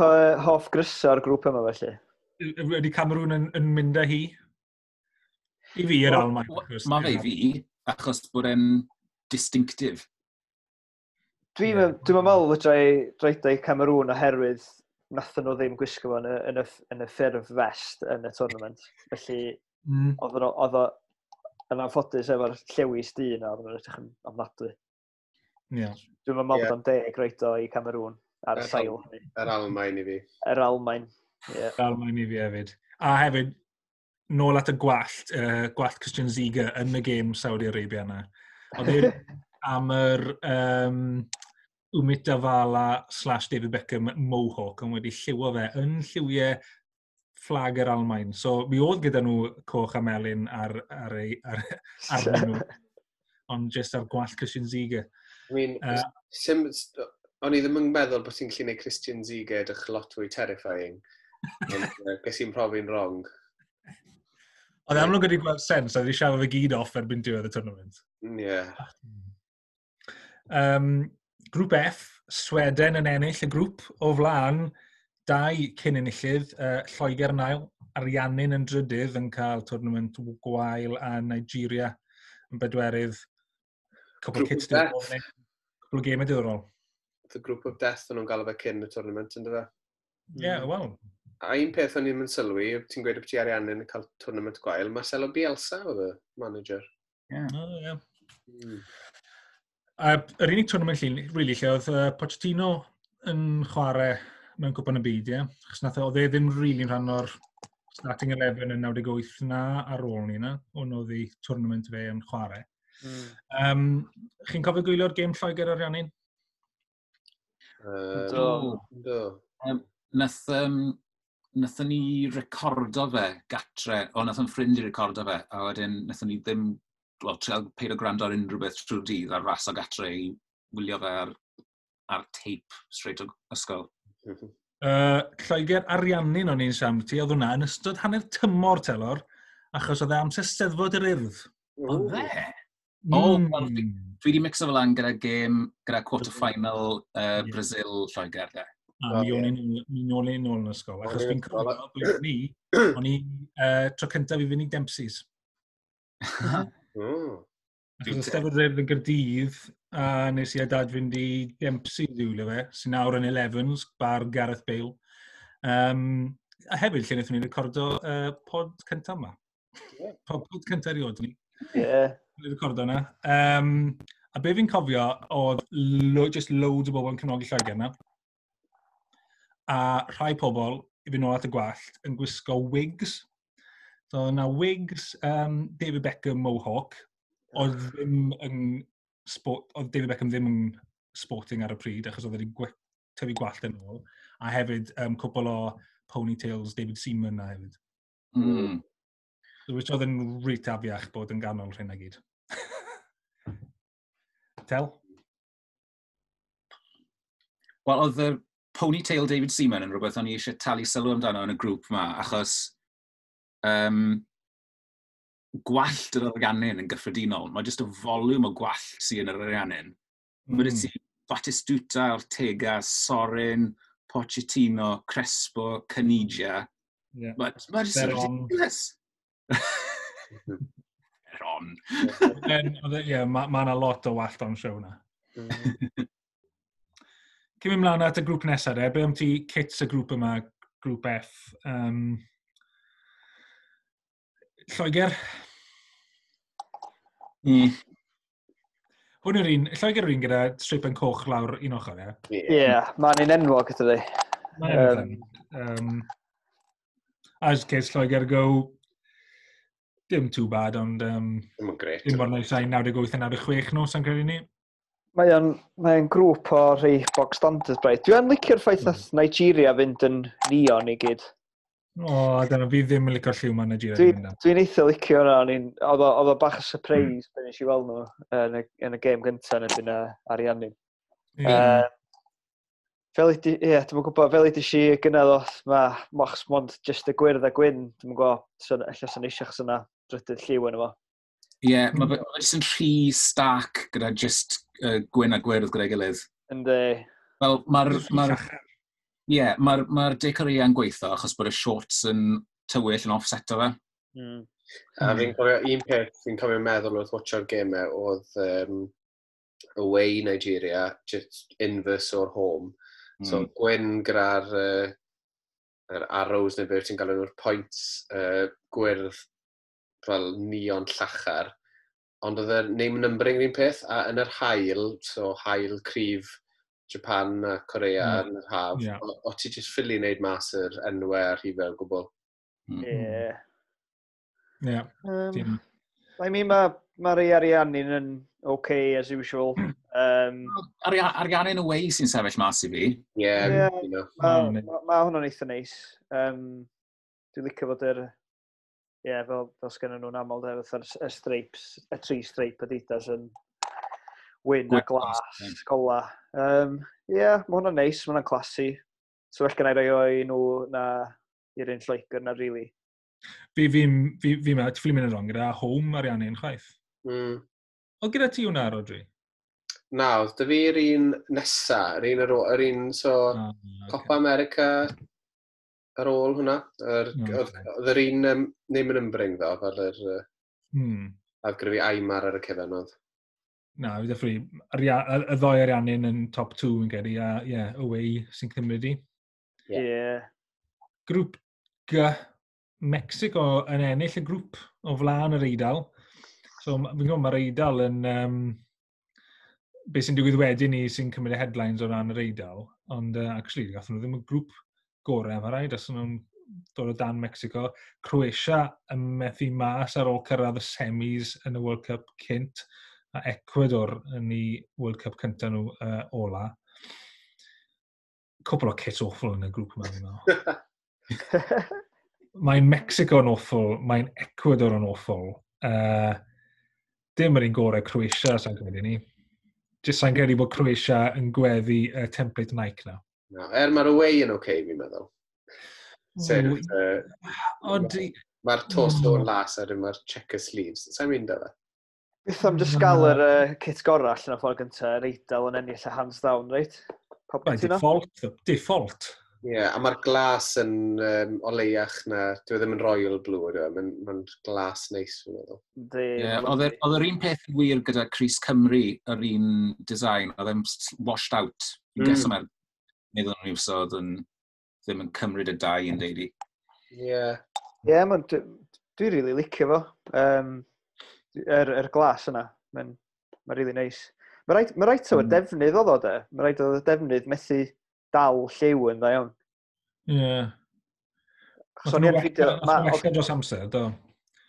Speaker 4: hoff grysau o'r grŵp yma, felly?
Speaker 1: Ydy Cameroon yn, yn mynd â hi? I fi, yr Almaen.
Speaker 2: Mae fe i fi, achos bod e'n distinctive.
Speaker 4: Dwi'n yeah. dwi meddwl fedra i roed i Cameroon oherwydd nathon nhw ddim gwisgo fo yn y, yn y, yn y ffurf vest yn y tournament. Felly, mm. oedd oedd o yn anffodus efo'r llewis du yna, oedd nhw'n edrych yn ofnadwy.
Speaker 1: Yeah.
Speaker 4: Dwi'n meddwl yeah. bod o'n deg roed o i Cameroon ar y sail hynny.
Speaker 3: Yr Almaen i fi.
Speaker 4: Yr Almaen, ie. Yeah.
Speaker 1: Yr Almaen i fi hefyd. A hefyd, nôl at y gwallt, uh, gwallt Christian Ziege yn y gêm Saudi Arabia yna. Oedd e am yr um, Umit Davala slash David Beckham Mohawk yn wedi lliwio fe yn lliwiau fflag yr Almain. So mi oedd gyda nhw coch a melyn ar, ar, ei, ar, arnyn nhw. Ond just ar gwallt Christian Ziege.
Speaker 3: I mean, uh, sim, o'n i ddim yn meddwl bod ti'n gallu gwneud Christian Ziege edrych lot fwy terrifying. Ond uh, ges i'n profi'n wrong.
Speaker 1: Oedd amlwg wedi gweld sens, a wedi siarad fe gyd off erbyn diwedd y tournament.
Speaker 3: Yeah.
Speaker 1: Um, grŵp F, Sweden yn ennill y grŵp o flaen dau cyn enillydd, uh, Lloegr yn ail, Ariannin yn drydydd yn cael tournament gwael a Nigeria yn bedwerydd. Cwpl o kits diddorol. Cwpl o gemau diddorol.
Speaker 3: The Group of Death o'n nhw'n galw fe cyn y tournament, ynddo fe?
Speaker 1: Ie, yeah, wel.
Speaker 3: A un peth o'n i'n mynd sylwi, ti'n gweud bod ti Ariannin yn cael tournament gwael, Marcelo Bielsa oedd y manager.
Speaker 1: Ie. Yeah. Oh, yeah. Mm. A yr unig tournament llun, really, lle oedd uh, Pochettino yn chwarae mewn cwpan y byd, ie. Yeah? Achos nath oedd e ddim really yn rhan o'r starting eleven yn naw deg wyth na ar ôl ni na. Hwn oedd ei tournament fe yn chwarae. Mm. Um, chi'n cofio gwylio'r gêm Lloegr Ariannin?
Speaker 3: Uh, do. Do.
Speaker 2: Um, nath, um, nathon ni recordo fe gatre, o nath yn ffrind i recordo fe, a wedyn nathon ni ddim, wel, trial peidio gwrando ar unrhyw beth trwy'r dydd ar ras o gatre i wylio fe ar, ar tape straight o ysgol.
Speaker 3: Mm -hmm.
Speaker 1: uh, Lloegr Ariannin o'n i'n siarad ti, oedd hwnna yn ystod hanner tymor telor, achos oedd e amser Steddfod yr Urdd.
Speaker 2: Oedd e? O, mm. Well, dwi wedi mixo fel lan gyda gêm, gyda quarter final uh, yeah. Brazil Lloegr, de.
Speaker 1: A mi o'n i'n nôl i'n nôl yn ysgol, achos fi'n cofio blwyddyn ni, o'n i uh, tro cyntaf i fynd i Dempsey's.
Speaker 3: Mm.
Speaker 1: Achos oedd Steddfod yr Urdd yn Gaerdydd, a nes i a dad fynd i Dempsey's i wylio fe, sy'n nawr yn Elevens, bar Gareth Bale. Um, a hefyd, lle wnaethon ni recordo uh, pod cyntaf yma.
Speaker 3: Yeah.
Speaker 1: Pod, pod cyntaf erioed ni.
Speaker 4: Yeah.
Speaker 1: Ni recordo yna. Um, a be fi'n cofio oedd lo, just loads o bobl yn cefnogi Lloegr yna. A rhai pobl, i fynd nôl at y gwallt, yn gwisgo wigs. So yna wigs um, David Beckham Mohawk, oedd ddim yn sport, oedd David Beckham ddim yn sporting ar y pryd, achos oedd wedi tyfu gwallt yn ôl. A hefyd um, cwpl o ponytails David Seaman na hefyd.
Speaker 2: Mm.
Speaker 1: So, which oedd yn reit afiach bod yn ganol rhain gyd. Tel?
Speaker 2: Wel, oedd y ponytail David Seaman yn rhywbeth o'n i eisiau talu sylw amdano yn y grŵp ma, achos um, gwallt yr Ariannin yn gyffredinol. Mae jyst y volume o gwallt sydd yn yr Ariannin. Mm. Mae ti Batistuta, Ortega, Sorin, Pochettino, Crespo, Caniggia.
Speaker 1: Yeah.
Speaker 2: Mae ma jyst yn ridiculous. Veron.
Speaker 1: Ie, mae yna lot o wallt on show na. Cyn mynd mlaen at y grŵp nesaf, de, be am ti kits y grŵp yma, grŵp F? Um, Lloegr?
Speaker 2: Mm.
Speaker 1: Hwn yw'r un, Lloegr yw'r un gyda streipen coch lawr un ochr, ie?
Speaker 4: Ie, yeah, mae'n un enwog gyda di.
Speaker 1: Mae'n um, um, as case Lloegr go, dim too bad, ond um,
Speaker 3: dim yn great.
Speaker 1: Dim mor nice ai naw deg wyth a naw deg chwech nhw, sa'n credu ni.
Speaker 4: Mae o'n, mae o'n grŵp o rhai bog standard braidd. Dwi'n licio'r ffaith nath Nigeria fynd yn neon i gyd.
Speaker 1: O, dyna fi ddim yn licio'r lliw ma Nigeria.
Speaker 4: Dwi'n dwi eitha licio hwnna. Oedd o bach o surprise mm. pan nes i weld nhw yn y, yn y gêm gyntaf yn erbyn Ariannin.
Speaker 1: Yeah.
Speaker 4: Uh, fel i, ie, yeah, dwi'm yn gwybod, fel i si gynnal oedd, mae mochs mond just y gwyrdd a gwyn, dwi'm yn gwybod, so, ella sy'n eisiau chos yna drydydd lliw yn efo.
Speaker 2: Ie, yeah, mae fe jyst yn rhy stark gyda just uh, gwyn a gwyrdd gyda'i gilydd.
Speaker 4: Yndi.
Speaker 2: Wel, mae'r... Mae'r Ie, yeah, mae'r ma De Corea yn gweithio achos bod y shorts yn tywyll yn offseto fe.
Speaker 4: Mm.
Speaker 3: A fi'n cofio un peth fi'n cofio meddwl wrth watcho'r gemau oedd um, away Nigeria, just inverse o'r home. Mm. So gwyn gyda'r uh, yr arrows neu beth ti'n galw nhw'r points uh, gwyrdd fel neon llachar. Ond oedd y name numbering yr un peth, a yn yr haul, so haul cryf Japan a Korea mm. yn yr haf,
Speaker 1: yeah.
Speaker 3: o, o ti just ffili wneud mas yr enwau a'r rhifau o gwbl.
Speaker 4: Ie.
Speaker 1: Ie.
Speaker 4: Um, I mean, mae Mae'r Ariannin yn okay as usual. Um,
Speaker 2: Ariannin away sy'n sefyll mas i fi.
Speaker 3: Ie, yeah,
Speaker 4: yeah,
Speaker 3: you know.
Speaker 4: Mae ma, ma hwnna'n eitha neis. Um, dwi'n licio fod yr... Ie, yeah, fel, fel sgynnon nhw'n aml, de, fatha'r y stripes, y tri stripe Adidas yn wyn a glas, gola. Um, Ie, yeah, mae hwnna'n neis, mae hwnna'n classy. So well gen i roi o i nhw na i'r un Lloegr na, really.
Speaker 1: Fi, fi, fi, fi, fi, fi mynd yn wrong gyda home Ariannin chwaith.
Speaker 3: Mm.
Speaker 1: Oedd gyda ti hwnna, Rodri?
Speaker 3: Na, oedd dy fi'r un nesa, yr un, ar ôl, yr un, so,
Speaker 1: Ah, ocê.
Speaker 3: Copa America ar ôl hwnna. Yr,
Speaker 1: Mm,
Speaker 3: oedd
Speaker 1: ocê.
Speaker 3: oedd yr un um, name and numbering ddo, fel yr, uh,
Speaker 1: Hmm.
Speaker 3: a gyda fi Aimar ar y cefen oedd.
Speaker 1: Na, fi definitely, aria, y, y ddoi Ariannin yn top two yn credu, a ie, yeah, away sy'n cymryd i.
Speaker 3: Ie.
Speaker 4: Ie. Yeah.
Speaker 1: Grŵp G, Mexico yn ennill y grŵp o flaen yr Eidal. So, ma- fi'n gwybod mae'r Eidal yn... Um, beth sy'n digwydd wedyn ni sy'n cymryd y headlines o ran yr Eidal, ond uh, actually, gathon nhw ddim y grŵp gorau, mae rhaid, os nhw'n dod o dan Mexico. Croatia yn methu mas ar ôl cyrraedd y semis yn y World Cup cynt, a Ecuador yn ei World Cup cyntaf nhw uh, ola. Cwpl o kits awful yn y grŵp yma, fi'n meddwl. Mae'n Mexico yn awful, mae'n Ecuador yn awful. Uh, dim yr un gorau Croatia, sa'n credu ni. Jyst sa'n credu bod Croatia yn gweddu y uh, template Nike na.
Speaker 3: No, er mae'r away yn okay, fi'n meddwl. Sef, uh,
Speaker 1: Ond,
Speaker 3: mae'r torso
Speaker 1: Mm.
Speaker 3: yn las a wedyn mae'r checker sleeves. Sa'n mynd o fe?
Speaker 4: Beth am just gael yr uh, kit gorau allan o'r ffordd gyntaf, yr Eidal yn ennill y hands down, reit? Pawb
Speaker 1: Right,
Speaker 4: cytuno?
Speaker 1: default, default.
Speaker 3: Ie, yeah, a mae'r glas yn um, oleiach na, dwi e ddim yn royal blue, ydw e, mae'n ma glas neis, fi'n meddwl.
Speaker 4: Yndi,
Speaker 2: Ie,
Speaker 4: ma'n
Speaker 2: Oedd
Speaker 4: lyfli.
Speaker 2: yr- oedd yr un peth yn wir gyda crys Cymru, yr un design, oedd e'n s- washed out. Fi'n
Speaker 3: Mm.
Speaker 2: mm. guess mae'r meddwl nhw so oedd yn ddim yn cymryd y dau yn deulu.
Speaker 3: Ie. Yeah.
Speaker 4: Ie, yeah, dwi, dwi really licio fo. Um, yr, yr glas yna, mae'n ma really nice. Mae rhaid, ma rhaid o'r
Speaker 1: Mm.
Speaker 4: defnydd oedd o, de. Mae rhaid oedd y defnydd methu dal lliw yn dda iawn.
Speaker 1: Ie. Yeah.
Speaker 4: Achos o'n i yn fideo... ma-
Speaker 1: Wella dros amser, do.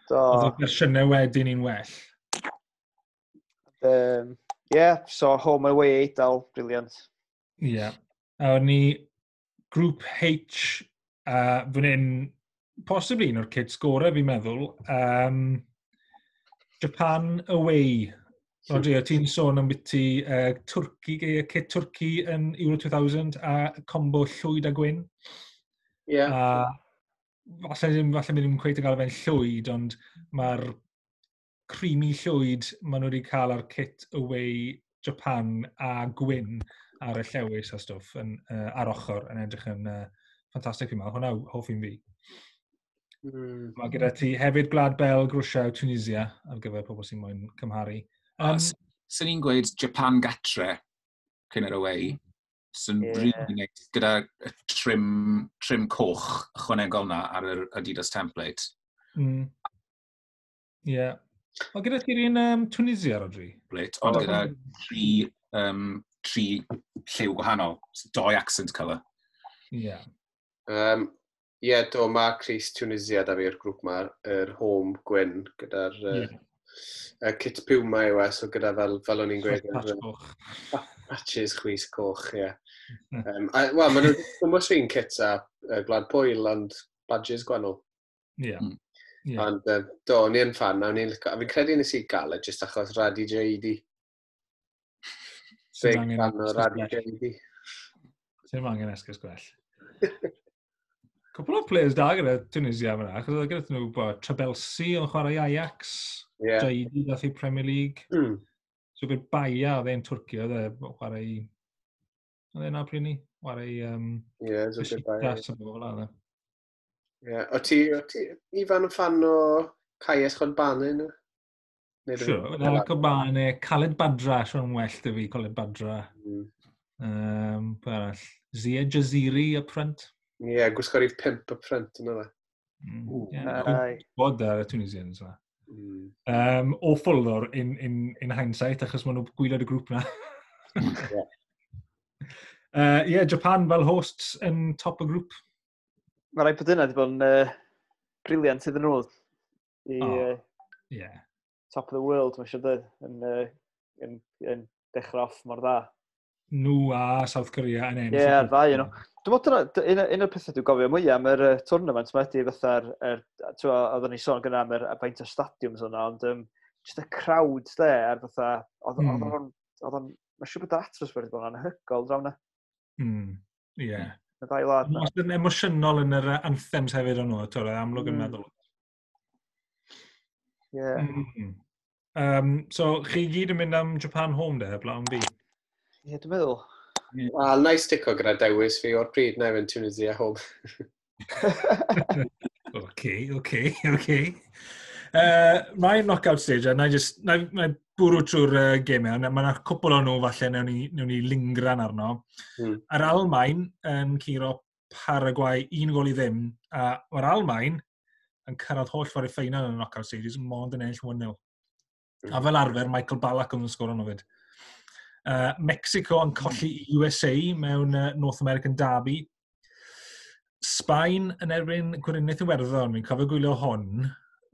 Speaker 4: Do.
Speaker 1: Oedd y fersiynau wedyn un well.
Speaker 4: Um, yeah, so home and away Eidal, brilliant.
Speaker 1: Ie. Yeah. A o'n ni Grŵp H, uh, fan hyn, possibly un o'r kits gorau fi'n meddwl. Um, Japan away. Rodri, o ti'n sôn am biti uh, Twrci, uh, kit Twrci yn Euro two thousand a combo llwyd a gwyn.
Speaker 3: Ie.
Speaker 1: A falle ddim, falle ddim cweit yn gael fe'n llwyd, ond mae'r creamy llwyd maen nhw wedi cael ar kit away Japan a gwyn ar y llewis a stwff yn, uh, ar ochr yn edrych yn uh, ffantastig fi'n meddwl. Hwna yw hoff un fi.
Speaker 3: Mm.
Speaker 1: Mae gyda ti hefyd Gwlad Belg, Rwsia, Tunisia ar gyfer pobl sy'n moyn cymharu.
Speaker 2: Um,
Speaker 1: Um,
Speaker 2: Swn i'n gweud Japan gatre cyn yr away. Sy'n
Speaker 4: Ie.
Speaker 2: yeah. really nice gyda y trim, trim coch ychwanegol na ar yr Adidas template.
Speaker 1: mm, yeah. O, gyda ti'r un um, Tunisia, Rodri?
Speaker 2: Template, ond gyda tri, um, tri lliw gwahanol. Doi accent colour.
Speaker 1: Ie. Yeah.
Speaker 3: Um, Ie, yeah, do, mae crys Tunisia da fi i'r grŵp ma, yr home gwyn gyda'r uh,
Speaker 1: Ie.
Speaker 3: uh, kit Puma yw e, so gyda fel, fel o'n i'n gweud,
Speaker 1: Patch
Speaker 3: yr,
Speaker 1: coch.
Speaker 3: patches chwys coch, ie. Um, a, wel, maen nhw'n gwybod un kit a uh, Gwlad Pwyl, ond badges gwahanol.
Speaker 1: Ie.
Speaker 2: Mm.
Speaker 1: Ie.
Speaker 3: Ond uh, do, o'n i yn fan, a o'n i'n licio, a fi'n credu nes i gael e jyst achos Radhi Jaidi.
Speaker 1: Sy'n
Speaker 3: Big
Speaker 1: angen
Speaker 3: fan o
Speaker 1: esgus
Speaker 3: Radi
Speaker 1: gwell.
Speaker 3: J D.
Speaker 1: Sy'n angen esgus gwell. Cwpl o players da gyda Tunisia fyna, achos oedd gyda nhw bo, Trabelsi yn chwarae i Ajax,
Speaker 3: Ie.
Speaker 1: yeah. Jaidi dath i Premier League.
Speaker 3: Mm.
Speaker 1: So bydd Baia, oedd e'n Twrci, oedd e chwarae i... Oedd e'n pryd ni? Chwarae i... Um,
Speaker 3: Ie, Zubir Baia.
Speaker 1: Besiktas a bobl fel 'na.
Speaker 3: Ie. O ti, o ti, Ifan, yn fan o Kais Khonbane, nhw? Neu dim-
Speaker 1: Sure, na, Kobane, Khaled Badra, siwr yn well dy fi, Khaled Badra.
Speaker 3: Mm.
Speaker 1: Um, pwy arall? Zia Jaziri up front.
Speaker 3: Ie, gwisgo rhif pump up front yna fe.
Speaker 1: Mm.
Speaker 2: Ww.
Speaker 1: Yeah,
Speaker 4: Aye.
Speaker 1: bod ar y Tunisians yna.
Speaker 3: Mm.
Speaker 1: Um, awful though, in, in, in hindsight, achos maen nhw gwaelod y grŵp na.
Speaker 3: Ie.
Speaker 1: uh, yeah, Japan fel hosts yn top y grŵp.
Speaker 4: Mae rhaid bod yna wedi bod yn uh, brilliant iddyn nhw. I,
Speaker 1: O.
Speaker 4: uh,
Speaker 1: Yeah.
Speaker 4: top of the world, mae'n siŵr dweud, yn, uh, yn, yn dechrau off mor dda.
Speaker 1: Nhw a South Korea yn ennill.
Speaker 4: Ie, yeah, ddau nhw. Dwi'n meddwl dyna, un, un o'r pethau dwi'n gofio mwyaf am yr uh, tournament yma ydy fatha'r, er, oedden ni sôn gyda am yr faint o stadiwms yna, ond um, just y crowds there, ar fatha, oedd mm. o'n, oedd o'n, mae'n siŵr bod yr atmosffer wedi bod yn anhygoel draw na.
Speaker 1: Mm, ie. Yeah.
Speaker 4: Y ddau wlad
Speaker 1: na. Mae'n emosiynol yn yr anthems hefyd o'n nhw, twyd, amlwg yn mm. meddwl.
Speaker 4: Ie. Yeah.
Speaker 1: Mm. Um, so, chi gyd yn mynd am Japan home de, heblaw am fi?
Speaker 4: Ie, yeah, dwi'n meddwl.
Speaker 3: Wel, na i stico gyda dewis fi o'r pryd, na i fynd Tunisia home.
Speaker 1: Oce, oce, oce. Mae'n knockout stage, a na i just, na, na i bwrw trwy'r uh, gemau, mae yna cwpl o nhw falle newn ni, newn ni lingran arno.
Speaker 3: Mm.
Speaker 1: Yr Almain yn curo Paraguay un gol i ddim, a mae'r Almain yn cyrraedd holl ffordd i ffeinal yn y knockout stages, mond yn ennill un nil.
Speaker 3: Mm.
Speaker 1: A fel arfer, Michael Ballack yn sgoro nhw fyd. Uh, Mexico yn colli i U S A mewn uh, North American Derby. Sbaen yn erbyn Gweriniaeth Iwerddon, fi'n cofio gwylio hwn.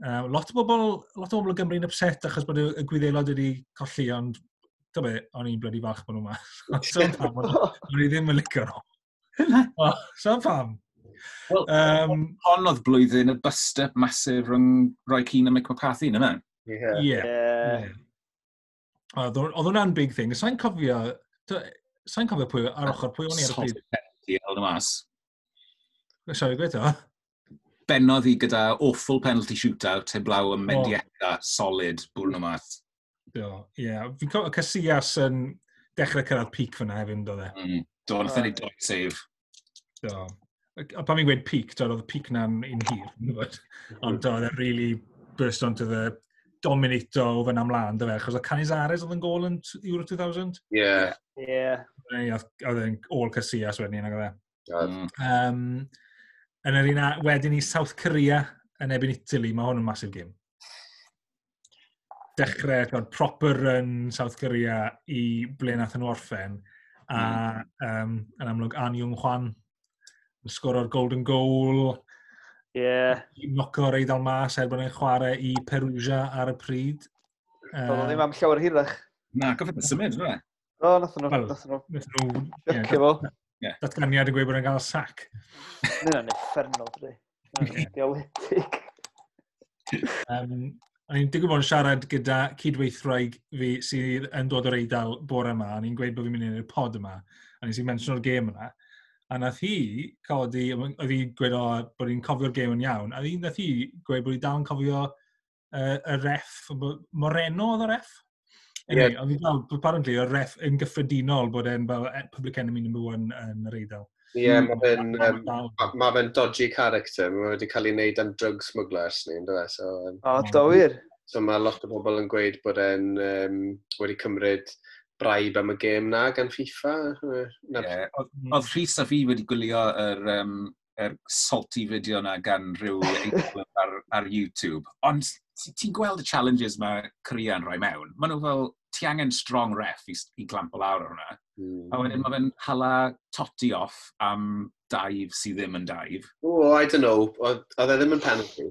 Speaker 1: Uh, lot o bobl, lot o bobl o Gymru'n upset achos bod y, y Gwyddelod wedi colli, ond do be, o'n i'n bloody falch bod nhw yma. So pam, o'n i ddim yn licio nhw. O, so pam.
Speaker 2: Wel,
Speaker 1: Um,
Speaker 2: hon oedd blwyddyn y bust-up massive rhwng Roy Keane a Mick McCarthy, na?
Speaker 3: Ie.
Speaker 1: Ie.
Speaker 4: Ie.
Speaker 1: Oedd oedd hwnna'n big thing. Sa'n cofio, sa'n cofio pwy, ar ochr pwy o'n i ar y pryd.
Speaker 2: Solid penalty held y mas.
Speaker 1: Sorry, gweud o?
Speaker 2: Bennodd hi gyda awful penalty shootout heblaw am Mendieta solid bwrw nhw mas.
Speaker 1: Do, ie. Fi'n cofio Casillas yn dechrau cyrraedd peak fyna hefyd, do e?
Speaker 2: Mm. Do, nath e neud doi save.
Speaker 1: Do. A pan fi'n gweud peak, do, oedd y peak na'n un hir, dwi'n gwybod. Ond do, oedd e really burst onto the dominato o fyna ymlaen, do fe, achos oedd Canizares oedd yn gol yn t- Euro two thousand.
Speaker 3: Ie.
Speaker 4: Ie.
Speaker 1: Neu Oedd oedd e'n ôl Casillas wedyn, nag oedd e?
Speaker 3: God.
Speaker 2: Mm.
Speaker 1: Um, yn yr un a, wedyn i South Korea yn erbyn Italy, mae hwn yn massive game. Dechrau, twod, proper run South Korea i ble nath nhw orffen. A um, yn amlwg Ahn Jung-hwan yn sgoro'r golden goal,
Speaker 4: Ie.
Speaker 1: knoco'r Eidal mas er bod e'n chwarae i Perugia ar y pryd.
Speaker 4: Doedd o ddim am llawer hirach.
Speaker 2: Na, goffod yn symud, fe?
Speaker 4: O, nath nhw,
Speaker 1: Wel,
Speaker 4: nath nhw
Speaker 1: Nath nhw, ie,
Speaker 4: chucio fo.
Speaker 1: datganiad yn gweud bod e'n cael sac.
Speaker 4: Mae hynna'n uffernol, dydi. Hynna'n diawledig.
Speaker 1: Um, o'n i'n digwydd bod yn siarad gyda cydweithwraig fi sydd yn dod o'r Eidal bore yma, a ni'n gweud bod fi'n mynd i'r pod yma, a nes i mentiono'r gêm yna. A nath hi codi, oedd hi'n gweud o, bod hi'n cofio'r gêm yn iawn, a hi, nath hi gweud bod hi dal yn cofio uh, y ref, bo- Moreno oedd y ref? Anyway, yeah. Oedd hi dal, apparently, y ref yn gyffredinol bod e'n fel eh, public enemy number one yn yr Eidal.
Speaker 3: Ie, mae fe'n um,
Speaker 1: Dal.
Speaker 3: ma fe'n dodgy character. Mae wedi cael ei wneud am drug smugglers ni, ynddo fe? So, um,
Speaker 4: O, do wir.
Speaker 3: So mae lot o bobl yn gweud bod e'n um, wedi cymryd bribe am y gêm na gan FIFA. Yy, Na,
Speaker 2: Yeah. Oedd oedd Rhys a fi wedi gwylio yr, um, yr salty video na gan rhyw Eidalwr ar, ar YouTube. Ond ti- ti'n gweld y challenges mae Korea yn rhoi mewn. Maen nhw fel, ti angen strong ref i, i clampo lawr ar hwnna.
Speaker 3: Mm.
Speaker 2: A wedyn mae fe'n hala Totti off am dive sydd ddim yn dive.
Speaker 3: Oh, I don't know. Oedd oedd e ddim yn penalty.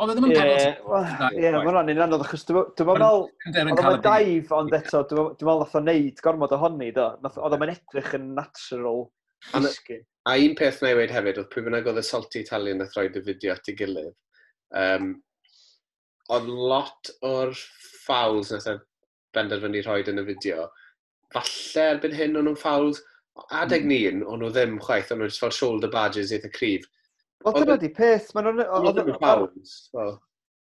Speaker 2: Oedd e ddim yn
Speaker 4: Ie,
Speaker 2: penalty.
Speaker 4: wel, ie, mae hwnna'n un anodd, achos dwi'n dwi'n meddwl,
Speaker 2: Yn
Speaker 4: oedd
Speaker 2: cael
Speaker 4: o'n
Speaker 2: y big-
Speaker 4: dive, ond eto, dwi'n dwi'n meddwl nath o neud gormod ohoni, do. Nath- Oedd o'n edrych yn natural
Speaker 3: A na-
Speaker 4: disgyn.
Speaker 3: A un peth na i weud hefyd, oedd pwy bynnag oedd y salty Italian nath roed y fideo at ei gilydd. Um, oedd lot o'r fouls nath e benderfynu rhoi yn y fideo. Falle erbyn hyn o'n nhw'n fouls. Adeg
Speaker 2: Mm.
Speaker 3: ni, o'n nhw ddim chwaith, o'n nhw just fel shoulder barges eitha cryf.
Speaker 4: Wel,
Speaker 3: Oedd
Speaker 4: dyna
Speaker 3: e-
Speaker 4: di peth, maen nhw'n
Speaker 3: O'n nhw
Speaker 4: oedd-
Speaker 3: ddim yn fouls. Wel,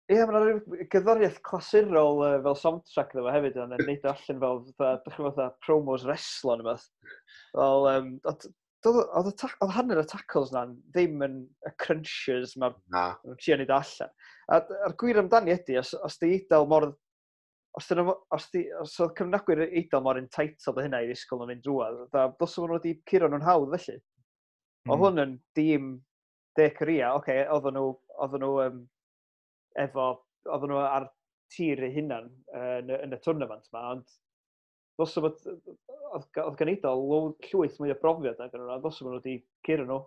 Speaker 4: Ie, mae'n rhyw gerddoriaeth clasurol uh, fel soundtrack iddo fo hefyd, ond yn neud o allan fel, fatha, dych chi'n fatha promos reslo neu beth. Fel, um, oedd oedd y tac- oedd hanner y tackles na ddim yn y crunchers mae'r
Speaker 3: na.
Speaker 4: nhw'n trio neud o allan. A a'r gwir amdani ydy, os, os di Eidal mor... Os, dyn nhw, os, di, os oedd cefnogwyr Eidal mor entitled o hynna i ddisgwyl nhw'n mynd drwodd, fatha, dylse nhw wedi curo nhw'n hawdd felly. Mm. Oedd hwn yn dîm De Korea, oce, okay, oedden nhw, oedden nhw um, efo, oedden nhw ar tir eu hunan uh, yn, y- yn y tournament ma, ond ddylse bod, oedd oedd gan Eidal low- llwyth mwy o brofiad nag nhw, a ddylse bod nhw wedi curo nhw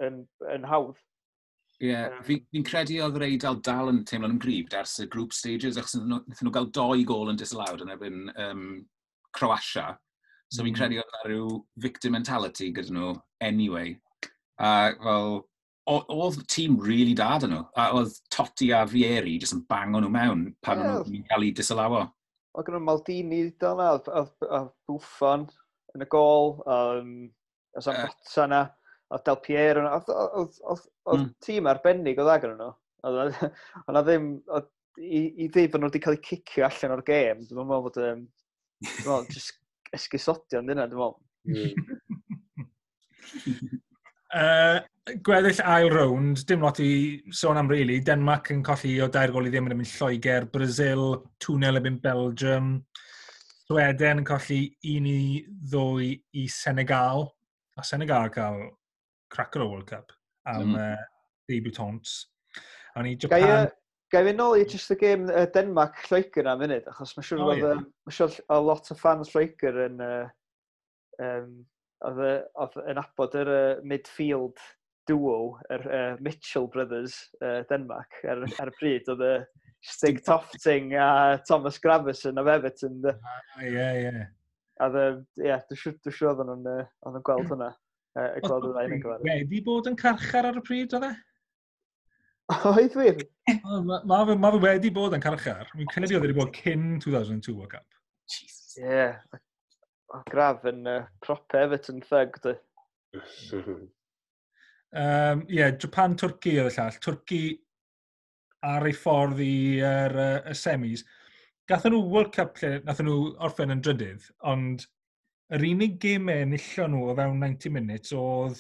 Speaker 4: yn, yn hawdd.
Speaker 2: Ie, yeah, fi'n fi credu oedd yr Eidal dal yn teimlo'n gryf ers y group stages, achos wnaethon nhw gael doi gol yn disallowed yn erbyn um, Croatia. So mm. fi'n credu oedd yna rhyw victim mentality gyda nhw anyway. A fel, oedd tîm really da dyn nhw. A oedd Totti a Vieri jyst yn bango nhw mewn pan yeah. nhw'n cael eu disallowo.
Speaker 4: Oedd gen nhw Maldini dal na, oedd Buffon yn y gol, um, oedd Zambrotta na, oedd Del Piero, oedd, oedd, oedd, oedd mm. tîm arbennig oedd ag nhw. Oedd na ddim, oedd, i, i ddweud bod nhw wedi cael eu cicio allan o'r gêm, dwi'n meddwl bod, um, dwi'n meddwl, just esgusodion dyna, dwi'n meddwl.
Speaker 1: Uh, gweddill ail rownd, dim lot i sôn am really. Denmark yn colli o dair gol i ddim yn erbyn Lloegr, Brazil, two nil erbyn Belgium, Sweden yn colli un i ddwy i Senegal, a Senegal cael cracker o World Cup am mm. uh, debutants. A ni
Speaker 4: Japan. Gai, gai fynd nôl i just y game uh, Denmark Lloegr am munud, achos mae'n siŵr oh, yeah. ma siŵr o lot o fans Lloegr yn, uh, um, oedd, oedd yn abod yr uh, midfield duo, yr uh, Mitchell brothers uh, Denmark, ar, ar y pryd, oedd y Stig Tofting a Thomas Gravesen of Everton.
Speaker 1: Ah, ie, ie.
Speaker 4: A ie, dwi'n siŵr dwi siŵr oedden nhw'n uh, gweld hwnna. Uh, gweld y ddau yn gyfarwydd.
Speaker 1: Wedi bod yn carchar ar y pryd, oedd e?
Speaker 4: Oedd wir?
Speaker 1: Mae ma, fe, ma fe wedi bod yn carchar. Mi'n credu oedd wedi bod cyn two thousand two World Cup.
Speaker 4: Ie. Yeah. O, Grav yn uh, proper Everton thug, dy.
Speaker 1: Um, yeah, Japan, Turkey oedd y llall. Turkey ar ei ffordd i'r uh, y semis. Gathon nhw World Cup lle nathon nhw orffen yn drydydd, ond yr unig gemau enillon nhw o fewn ninety minutes oedd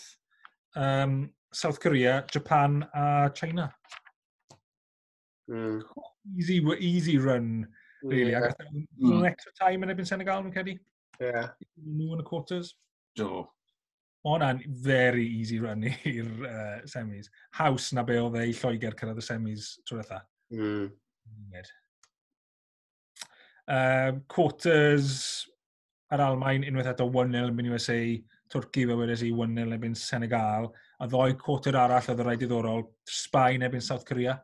Speaker 1: um, South Korea, Japan a China. Mm. Easy, easy run, really. Yeah. A gathon nhw mm. extra time yn erbyn Senegal, nhw'n credu?
Speaker 3: Yeah.
Speaker 1: Nhw yn y quarters.
Speaker 2: Do.
Speaker 1: Ma hwnna'n very easy run i'r uh, semis. Haws na be oedd e i Lloegr cyrraedd y semis trwy ddiwetha.
Speaker 3: Mm.
Speaker 1: Uh, quarters ar Almain unwaith eto un nil yn U S A, Twrci fel wedes i un nil erbyn Senegal, a ddoi quarter arall oedd y rai diddorol, Sbaen erbyn South Korea.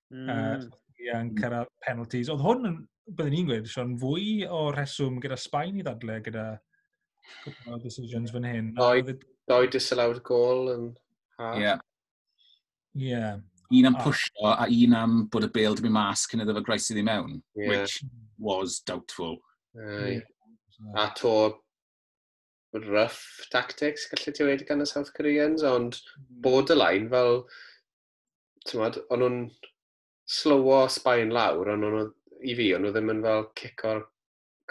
Speaker 1: Mm. Uh, South Korea yn cyrraedd penalties. Oedd hwn, yn, byddwn ni'n gweud, Sean, fwy o rheswm gyda Sbaen i ddadle gyda cwpl o decisions fan hyn.
Speaker 3: Doi, doi disallowed goal yn
Speaker 2: half. Yeah.
Speaker 1: Yeah.
Speaker 2: Un am pwysio a un am bod y bêl di mynd mas cyn iddo fe groesi iddi mewn, yeah. which was doubtful.
Speaker 3: Uh, yeah. A to rough tactics, gallu ti wedi gan y South Koreans, ond borderline fel, ti'n o'n nhw'n slowo Sbaen lawr, ond nhw, i fi, o'n nhw ddim yn fel cico'r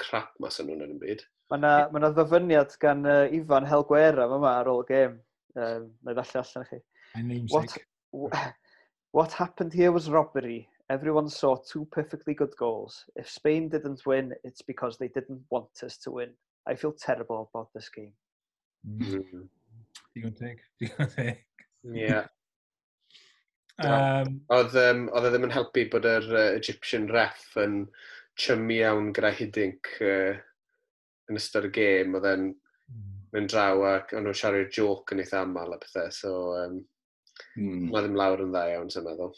Speaker 3: crap mas o'n nhw'n yn y byd.
Speaker 4: Mae yna ma na ddyfyniad gan uh, Ifan Helguera yma ar ôl y gêm. Um, na i ddarllen allan i chi. What, what happened here was robbery. Everyone saw two perfectly good goals. If Spain didn't win, it's because they didn't want us to win. I feel terrible about this game.
Speaker 1: Mm. Digon teg. Digon teg.
Speaker 3: Yeah. Um, oedd, um, oedd e ddim yn helpu bod yr uh, Egyptian ref yn chummy iawn gyda Hiddink uh, yn ystod y gêm. Oedd e'n mm. mynd draw ac o'n nhw'n siarad joke yn eitha aml a pethau. So, um, mm. mae ddim lawr yn dda iawn, sy'n meddwl.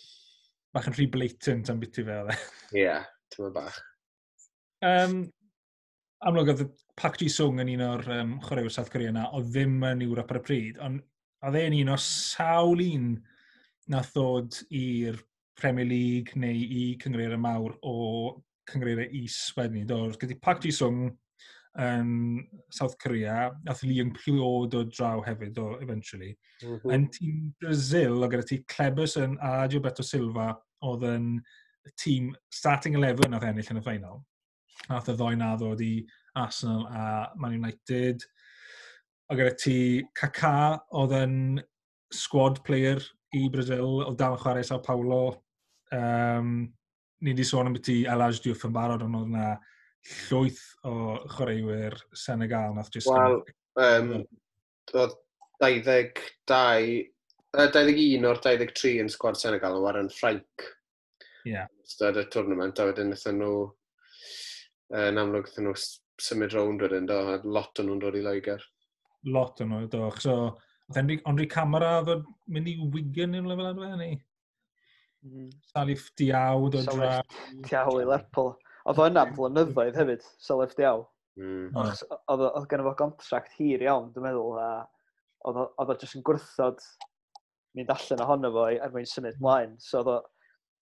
Speaker 1: Bach yn rhy blatant am biti fe, oedd e.
Speaker 3: Ie, yeah, ti'n bach.
Speaker 1: Um, amlwg oedd Park Ji-sung yn un o'r um, chwaraewyr South Korea na, oedd ddim yn Ewrop ar y pryd, ond oedd e'n un o sawl un nath ddod i'r Premier League neu i cynghreiriau mawr o cynghreiriau is wedyn ni. Do, gyda Park Ji-sung yn South Korea, nath Lee Young-pyo dod draw hefyd, do, eventually. Mm -hmm. Yn tîm Brazil, oedd gyda ti Kleberson a Gilberto Silva, oedd yn tîm starting eleven nath ennill yn y final. Nath y ddoi na ddod i Arsenal a Man United. Oedd gyda ti Kaká, oedd yn squad player i Brazil, oedd dal yn chwarae Sao Paulo. Um, ni wedi sôn am beth i El Hadji Diouf yn barod, ond oedd yna llwyth o chwaraewyr Senegal nath
Speaker 3: just. Wel, um, oedd dau ddeg dau, uh, dau ddeg un o'r dau ddeg tri yn sgwad Senegal yn chwarae yn Ffrainc.
Speaker 1: Yeah.
Speaker 3: Ystod y tournament, a wedyn wnaethon nhw, yn amlwg wnaethon nhw symud rownd wedyn, do, a lot o'n nhw'n dod i Loegr.
Speaker 1: Lot o'n nhw, do. So, Oedd Henry, Henry Camara ddod mynd i Wigan neu rhywle fel yna, neu? Mm. Salif Diaw dod
Speaker 4: draw. Diaw i Lerpwl. Oedd o yna am flynyddoedd hefyd, Salif Diaw. Mm. Oedd oedd gen fo contract hir iawn, dwi'n meddwl, a oedd o oedd jyst yn gwrthod mynd allan ohono fo er mwyn symud mlaen. So oedd o,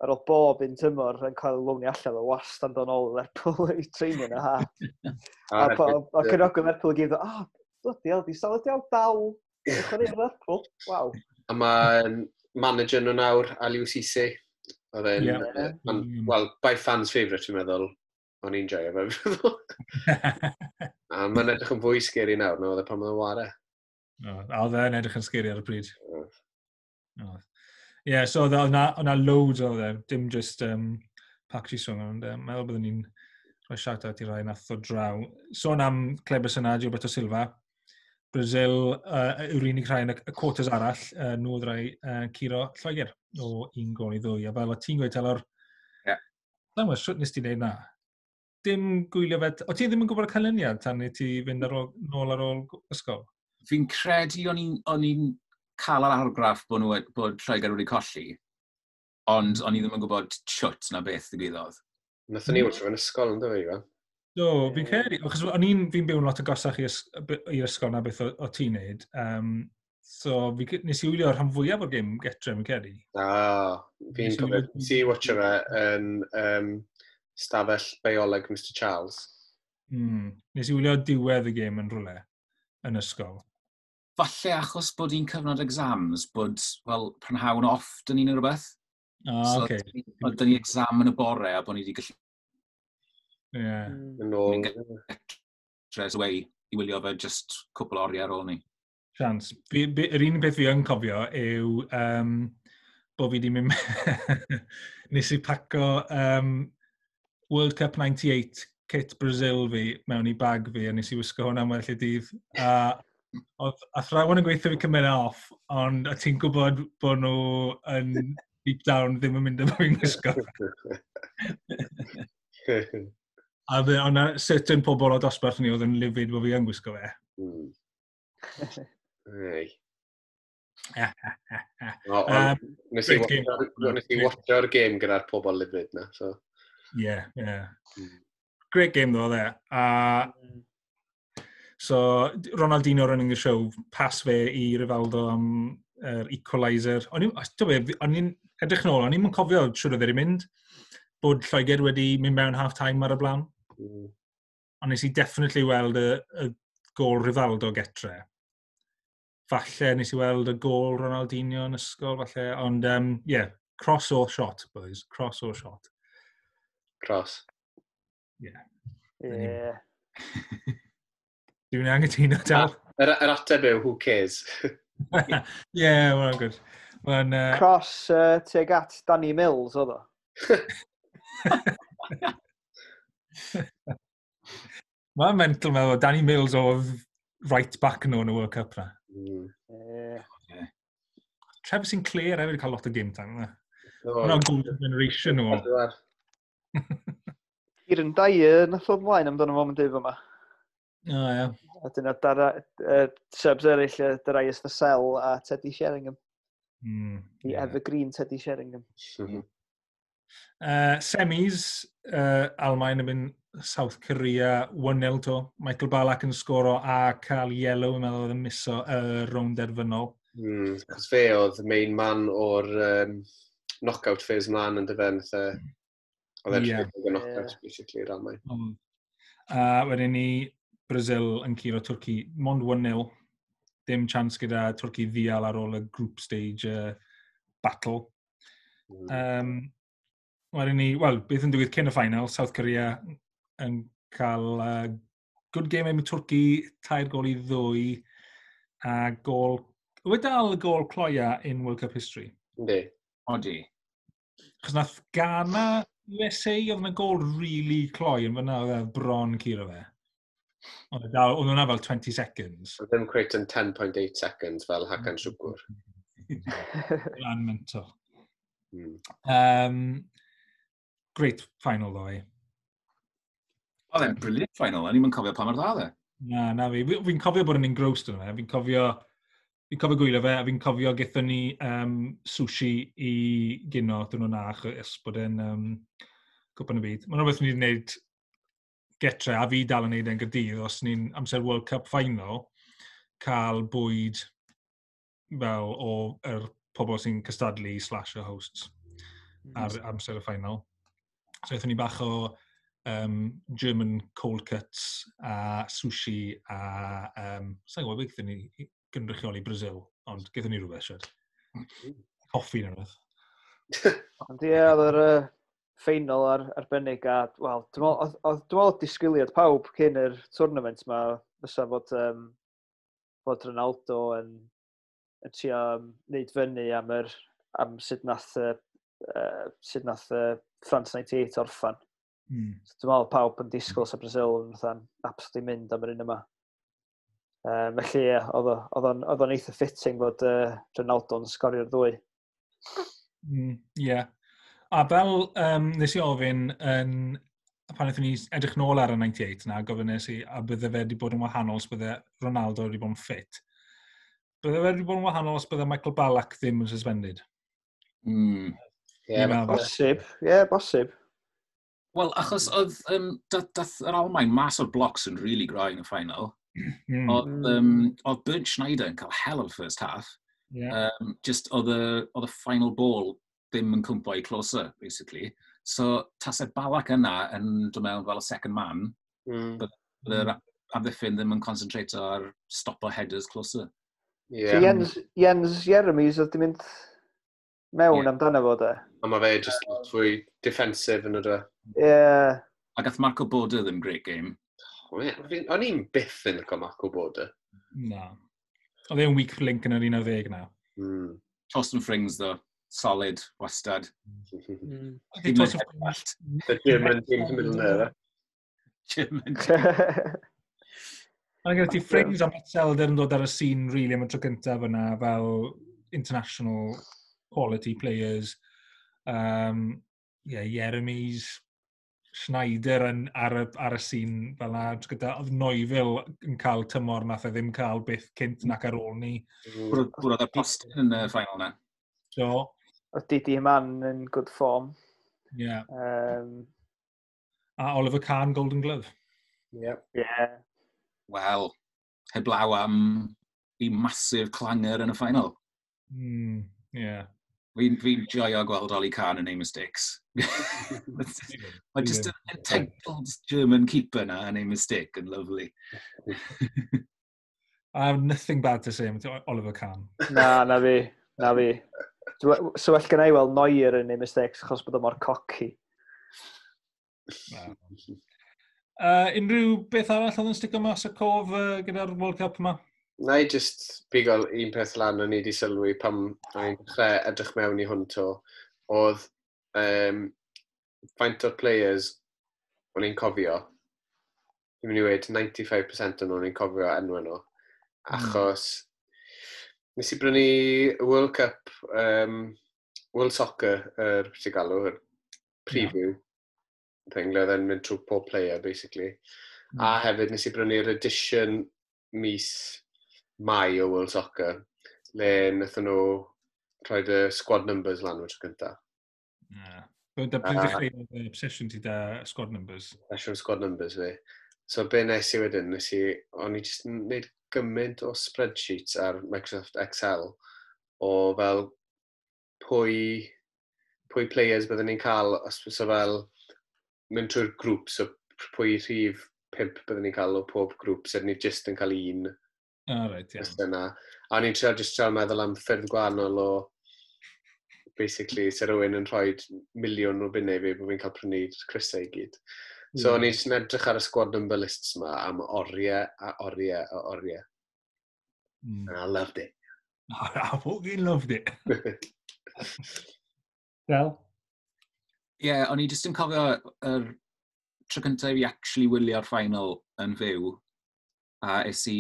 Speaker 4: ar ôl bob un tymor yn cael ei loanio allan o wastad yn dod nôl i Lerpwl i training a ha. A, a, a, a cefnogwyr Lerpwl i gyd, oh, bloody hell, di Salif Diaw dal i chwarae i Lerpwl. Waw.
Speaker 3: A mae manager nhw nawr, Aliou Cisse. Oedd e'n, yeah. mm. well, by fans favourite, dwi'n meddwl. O'n i'n joio fe, fi'n meddwl. A mae'n edrych yn fwy scary nawr na oedd e pan oedd e'n ware.
Speaker 1: No, a oedd e'n edrych yn scary ar y pryd. Ie, yeah, so oedd yna, oedd yna loads oedd e, dim just um, Park Ji-sung, ond um, meddwl byddwn ni'n rhoi shout-out i rai nath o draw. Sôn am Kleberson a Gilberto Silva, Brazil uh, yw'r unig rhai yn y, y quarters arall, uh, nhw oedd rai uh, curo Lloegr o un gol i ddwy. A fel o ti'n gweud, Telor,
Speaker 2: Ie. Yeah.
Speaker 1: Sa'n sut nes ti wneud na? Dim gwylio fe... O ti ddim yn gwybod y canlyniad tan i ti fynd ar ôl, nôl ar ôl ysgol?
Speaker 2: Fi'n credu o'n i'n o'n i'n cael yr argraff bod, nhw, bod Lloegr wedi colli, ond o'n i ddim yn gwybod shwt na beth ddigwyddodd.
Speaker 3: Nathon ni watcho fe'n ysgol yn dweud, Iwan?
Speaker 1: Do, fi'n credu, achos o'n i'n, fi'n byw yn lot agosach i'r i'r ysgol na beth o, o ti'n neud. Um, so fi, nes i wylio rhan fwyaf o'r gêm getre, fi'n credu.
Speaker 3: Ah, fi'n cofio, nes i watcho fe yn um, stafell bioleg Mr Charles.
Speaker 1: Mm. Nes i wylio diwedd y gêm yn rhywle yn ysgol.
Speaker 2: Falle achos bod hi'n cyfnod exams, bod, wel, prynhawn off dyn ni'n rhywbeth.
Speaker 1: Ah,
Speaker 2: so,
Speaker 1: okay.
Speaker 2: Oedd dyn ni exam yn y bore a bod ni wedi gallu
Speaker 1: Yeah.
Speaker 3: Yn ôl.
Speaker 2: straight away i wylio fe just cwpl o oriau ar ôl ni.
Speaker 1: Chance. Fi, fi, yr unig beth fi yn cofio yw um, bod fi wedi mynd... nes i paco um, World Cup naw deg wyth kit Brazil fi mewn i bag fi a nes i wisgo hwnna am weddill y dydd. A oedd athrawon yn gweithio fi cymryd e off, ond a ti'n gwybod bod nhw yn deep down ddim yn mynd efo fi'n gwisgo. A dde, ond na certain pobl o dosbarth ni oedd yn livid bod fi yn gwisgo fe.
Speaker 3: Mm. Ei. O,
Speaker 1: Um,
Speaker 3: ond Nes i
Speaker 1: great game.
Speaker 3: watcho'r- nes i watcho'r gêm gyda'r pobl livid na, so.
Speaker 1: Yeah, yeah.
Speaker 3: Mm.
Speaker 1: Great game though, there. A so, Ronaldinho running the show, pass fe i Rivaldo am yr er equaliser. O'n i'n ti'n be, o'n i'n edrych nôl, o'n i'n cofio siwr oedd e wedi mynd, bod Lloegr wedi mynd mewn half-time ar y blaen.
Speaker 3: Mm.
Speaker 1: Ond nes i definitely weld y, y gol Rivaldo getre. Falle nes i weld y gol Ronaldinho yn ysgol, falle. Ond, um, yeah, cross or shot, boys. Cross or shot.
Speaker 3: Cross.
Speaker 4: Ie.
Speaker 1: Dwi'n angytuno dal.
Speaker 3: Yr, yr ateb yw, who cares?
Speaker 1: Yeah, well, good. Mae'n, uh,
Speaker 4: Cross uh, tuag at Danny Mills, oedd o.
Speaker 1: Mae'n mental meddwl, Danny Mills oedd right back nhw yn y World Cup na.
Speaker 3: Mm.
Speaker 4: Ie.
Speaker 1: Trevor Sinclair hefyd cael lot o game time. Na.
Speaker 3: O,
Speaker 1: Hwna'n golden generation nhw.
Speaker 3: pedwar.
Speaker 4: Kieran Dyer nath ddod mlaen amdano fo yn dyf yma.
Speaker 1: O, ie.
Speaker 4: A dyna dara, uh, subs eraill, uh, Darius Vassell a Teddy Sheringham.
Speaker 1: Mm,
Speaker 4: The
Speaker 1: yeah.
Speaker 4: evergreen Teddy Sheringham.
Speaker 3: Mhm.
Speaker 1: Uh, semis, uh, Almaen yn mynd South Korea un nil to. Michael Ballack yn sgoro a cael yellow, yn meddwl oedd yn miso y uh, rownd derfynol.
Speaker 3: Mm. Achos fe oedd main man o'r um, knockout phase mlaen yn dyfe. Nath e- Oedd e'n
Speaker 1: Ie.
Speaker 3: yeah. knockout, basically, i'r Almaen.
Speaker 1: Mm. A wedyn ni Brazil yn curo Twrci, mond un nil. Dim chance gyda Twrci ddial ar ôl y group stage uh, battle.
Speaker 3: Mm.
Speaker 1: Um, wedyn ni, wel, beth yn digwydd cyn y final, South Korea yn cael uh, good game am Twrci, tair gol i ddwy, a gol... Yw e dal y gol cloia in World Cup history?
Speaker 3: Yndi.
Speaker 2: Odi.
Speaker 1: Chos nath Ghana U S A, oedd yna gol really cloi yn fyna, oedd e bron curo fe. Oedd e dal, oedd hwnna fel twenty seconds.
Speaker 3: Oedd ddim cweit yn ten point eight seconds fel Hakan Şükür.
Speaker 1: Lan mental.
Speaker 3: Mm.
Speaker 1: Um, great final, though, eh?
Speaker 2: Oedd e'n brilliant final, o'n i'n cofio pa mor dda oedd e.
Speaker 1: Na, na fi. Fi- Fi'n cofio bod yn engrossed yn fe. Fi'n cofio Fi'n cofio gwylio fe, a fi'n cofio gaethon ni um, sushi i gino dyn nhw'n na, achos bod e'n um, Cwpan y Byd. Mae'n rhywbeth ni wedi gwneud getre, a fi dal yn neud e'n Gaerdydd, os ni'n amser World Cup final, cael bwyd fel o yr pobl sy'n cystadlu slash y hosts ar amser y final. So aethon ni bach o um, German cold cuts a sushi a um, sa'n gwybod beth gaethon ni i gynrychioli Brazil, ond gaethon ni rhywbeth, siwr. Coffi neu rhywbeth.
Speaker 4: Ond ie, oedd yr uh, ffeinal ar, arbennig a, wel, dwi'n meddwl, oedd- oedd- dwi'n meddwl disgwyliad pawb cyn yr tournament ma fysa fod, um, fod Ronaldo yn, yn trio um, neud fyny am, yr, am sut nath, uh, uh, sut nath uh, France naw deg wyth orffan.
Speaker 1: Mm.
Speaker 4: So, dwi'n meddwl pawb yn disgwyl sa Brazil yn fatha'n absolutely mynd am yr un yma. Um, felly, ie, oedd o- oedd o'n oedd o'n eitha fitting fod uh, Ronaldo'n sgorio'r ddwy.
Speaker 1: Mm, yeah. A fel um, nes i ofyn yn, pan wnaethon ni edrych nôl ar y naw wyth na, gofyn nes i, a bydde fe wedi bod yn wahanol os bydde Ronaldo wedi bod yn ffit. Bydde fe wedi bod yn wahanol os bydde Michael Ballack ddim yn suspended?
Speaker 2: Mm.
Speaker 3: Ie,
Speaker 1: Fi'n meddwl.
Speaker 4: Bosib, ie, yeah, bosib.
Speaker 2: Wel, achos oedd, um, dath, dath yr Almain mas o'r blocks yn really gry yn y final.
Speaker 1: Mm.
Speaker 2: Oedd, um, oedd Bernd Schneider yn cael hell of a first half.
Speaker 1: Yeah.
Speaker 2: Um, just oedd y, oedd y final ball ddim yn cwmpo i Klose, basically. So, tasau Ballack yna yn dod mewn fel y second man,
Speaker 3: Mm.
Speaker 2: bydd yr amddiffyn ddim yn concentrate ar stopo headers Klose.
Speaker 3: Ie.
Speaker 4: So Jens, Jens Jeremies oedd di mynd mewn
Speaker 2: Ie.
Speaker 4: amdano fo, de.
Speaker 3: A mae fe just lot fwy defensive yn ydw.
Speaker 4: Ie. Yeah.
Speaker 2: A gath Marco Bode ddim great game.
Speaker 3: O'n i'n byth yn licio Marco Bode.
Speaker 1: Na. Oedd e'n weak link yn yr un ar ddeg na.
Speaker 3: Mm.
Speaker 2: Torsten Frings, though, solid, wastad.
Speaker 4: Mm.
Speaker 1: Okay,
Speaker 2: Dim yn
Speaker 1: Torsten
Speaker 2: head
Speaker 3: The German team to middle there.
Speaker 2: German.
Speaker 1: Mae'n gyda ti Frings a Metzelder yn dod ar y scene really am y tro cyntaf yna fel international quality players. Um, yeah, Jeremies, Schneider yn, ar, y, ar y scene fel na. Gyda, oedd Neuville yn cael tymor nath e ddim cael byth cynt nac ar ôl ni.
Speaker 2: Bwrodd y postyn yn y final na.
Speaker 1: So,
Speaker 4: Oedd Didi Hamann yn good form.
Speaker 1: Yeah.
Speaker 4: Um,
Speaker 1: A Oliver Kahn, Golden Glove.
Speaker 3: Yep.
Speaker 4: Yeah.
Speaker 2: Wel, heblaw am i massive clanger yn y final.
Speaker 1: Mm, yeah.
Speaker 2: Fi'n fi joio gweld Oli Kahn yn neud mistakes. Mae just an entitled German keeper na yn neud mistake yn lovely.
Speaker 1: I have nothing bad to say about Oliver Kahn.
Speaker 4: Na, na fi. Na fi. Dwi- So well gen i weld Neuer yn neud mistakes achos bod o mor cocky.
Speaker 1: Na. Uh, unrhyw beth arall oedd yn stico mas y cof uh, gyda'r World Cup yma?
Speaker 3: Na i just bigo un peth lan o'n i wedi sylwi pam o'n i'n dechrau edrych mewn i hwn to, oedd um, faint o'r players o'n i'n cofio, dwi'n mynd i weud naw deg pump y cant o'n nhw'n i'n cofio enw nhw, achos nes i brynu World Cup, um, World Soccer, yr beth ti'n galw, yr preview thing, le oedd e'n mynd trwy pob player, basically. Mm. A hefyd nes i brynu'r edition mis Mai o World Soccer, le wnaethon nhw rhoi y squad numbers lan o'r tro cyntaf.
Speaker 1: Yeah. Da pryd ddechreuodd y obsession ti da squad numbers?
Speaker 3: Obsession squad numbers fi. So be nes i wedyn, nes i, o'n i jyst yn gwneud gymaint o spreadsheets ar Microsoft Excel o fel pwy, pwy players byddwn ni'n cael, os so fel mynd trwy'r grŵp, so pwy rhif pump byddwn ni'n cael o pob grŵp, so ni jyst yn cael un
Speaker 1: Ah, right, yeah.
Speaker 3: just yna. A o'n i'n trio just trio meddwl am ffyrdd gwahanol o basically, se rhywun yn rhoi miliwn o bunnau i fi, bod fi'n cael prynu crysau i gyd. So o'n i jyst yn edrych ar y squad number lists ma am oriau a oriau a oriau.
Speaker 1: Mm.
Speaker 3: And I loved it.
Speaker 1: I fucking loved it. Del?
Speaker 2: Ie, yeah, o'n i jyst yn cofio yr tro cyntaf i fi actually wylio'r final yn fyw, a es i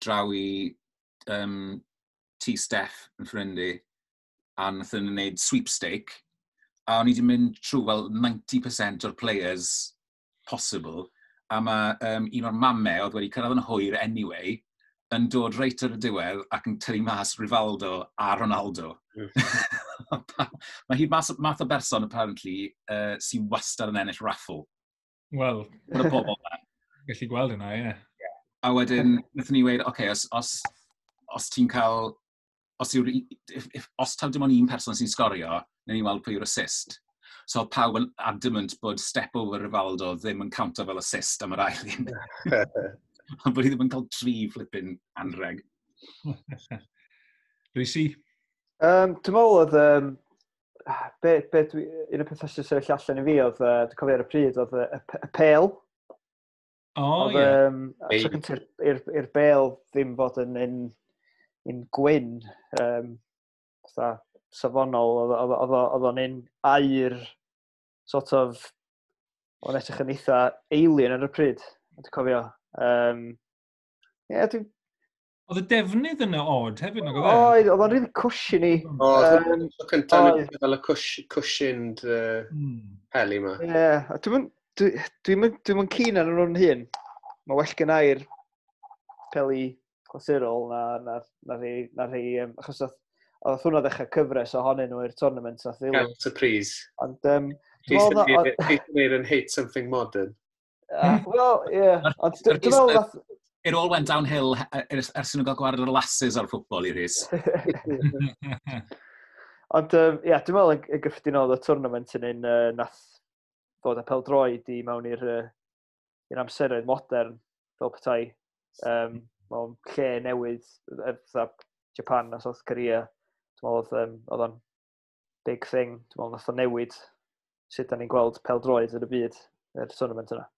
Speaker 2: draw i um, tŷ Steff yn ffrind i, a nath nhw'n gwneud sweepstake, a o'n i wedi mynd trwy fel naw deg y cant o'r players possible, a mae um, un o'r mamau oedd wedi cyrraedd yn hwyr anyway, yn dod reit ar y diwedd ac yn tynnu mas Rivaldo a Ronaldo. Mm. Mae hi'n mas, math o berson, apparently, uh, sy'n wastad yn ennill raffle.
Speaker 1: Wel,
Speaker 2: Mae'r bobl na.
Speaker 1: Gallu gweld yna, ie.
Speaker 2: Yeah. A wedyn, wnaethon ni weud, oce, okay, os, os, os ti'n cael, os, yw'r, if, if, os taw dim ond un person sy'n sgorio, wnawn ni weld pwy yw'r assist. So oedd pawb yn adamant bod step over Rivaldo ddim yn counto fel assist am yr ail un. Ond bod hi ddim yn cael tri flipping anreg.
Speaker 1: Rhys?
Speaker 4: Um, dwi'n meddwl oedd, um, be, be dwi, un o'r pethau sy'n sefyll allan i fi oedd, uh, dwi'n cofio ar y pryd, oedd y, y, y pêl.
Speaker 1: O,
Speaker 4: Oedd,
Speaker 1: ie.
Speaker 4: um, tro cyntaf i'r i'r bêl ddim fod yn un, un gwyn, um, fatha safonol, oedd oedd- oedd o- oedd o'n un aur, sort of, o'n edrych yn eitha alien ar y pryd, dwi'n cofio. Um, Ie, dwi'n...
Speaker 1: Oedd y defnydd yna odd hefyd, nag oedd e?
Speaker 4: Oedd, oedd o'n really cushiony.
Speaker 3: O,
Speaker 4: Yym,
Speaker 3: tro cyntaf
Speaker 4: oedd.
Speaker 3: fel y cush, cushioned uh,
Speaker 1: Hmm.
Speaker 3: peli ma.
Speaker 4: Ie, a dwi'n dwi, dwi'n dwi'n mynd keen ar nhw'n hun. Mae well gen i'r peli clasurol na, na, na rhai, na rhai um, achos oedd, oedd hwnna ddechrau cyfres ohonyn nhw i'r tournament nath ddilyn.
Speaker 3: Gael surprise.
Speaker 4: Ond, um, dwi'n meddwl na-
Speaker 3: Rhys yn gwneud yn hate something modern.
Speaker 4: Ah, wel, ie. Ond dwi- dwi'n meddwl nath.
Speaker 2: It all went downhill eh, ers ers nhw gael gwared o'r lasses ar ffwtbol i Rhys.
Speaker 4: Ond, um, ie, dwi'n meddwl yn yn gyffredinol oedd y tournament yn un uh, nath ddod â pêl-droed i mewn i'r uh, i'r amseroedd modern fel petai um, mewn lle newydd, yy, fatha Japan a South Korea. Dwi'n meddwl oedd, um, oedd o'n big thing. Dwi'n meddwl nath o newid sut da ni'n gweld pêl-droed yn y byd, yr tournament yna.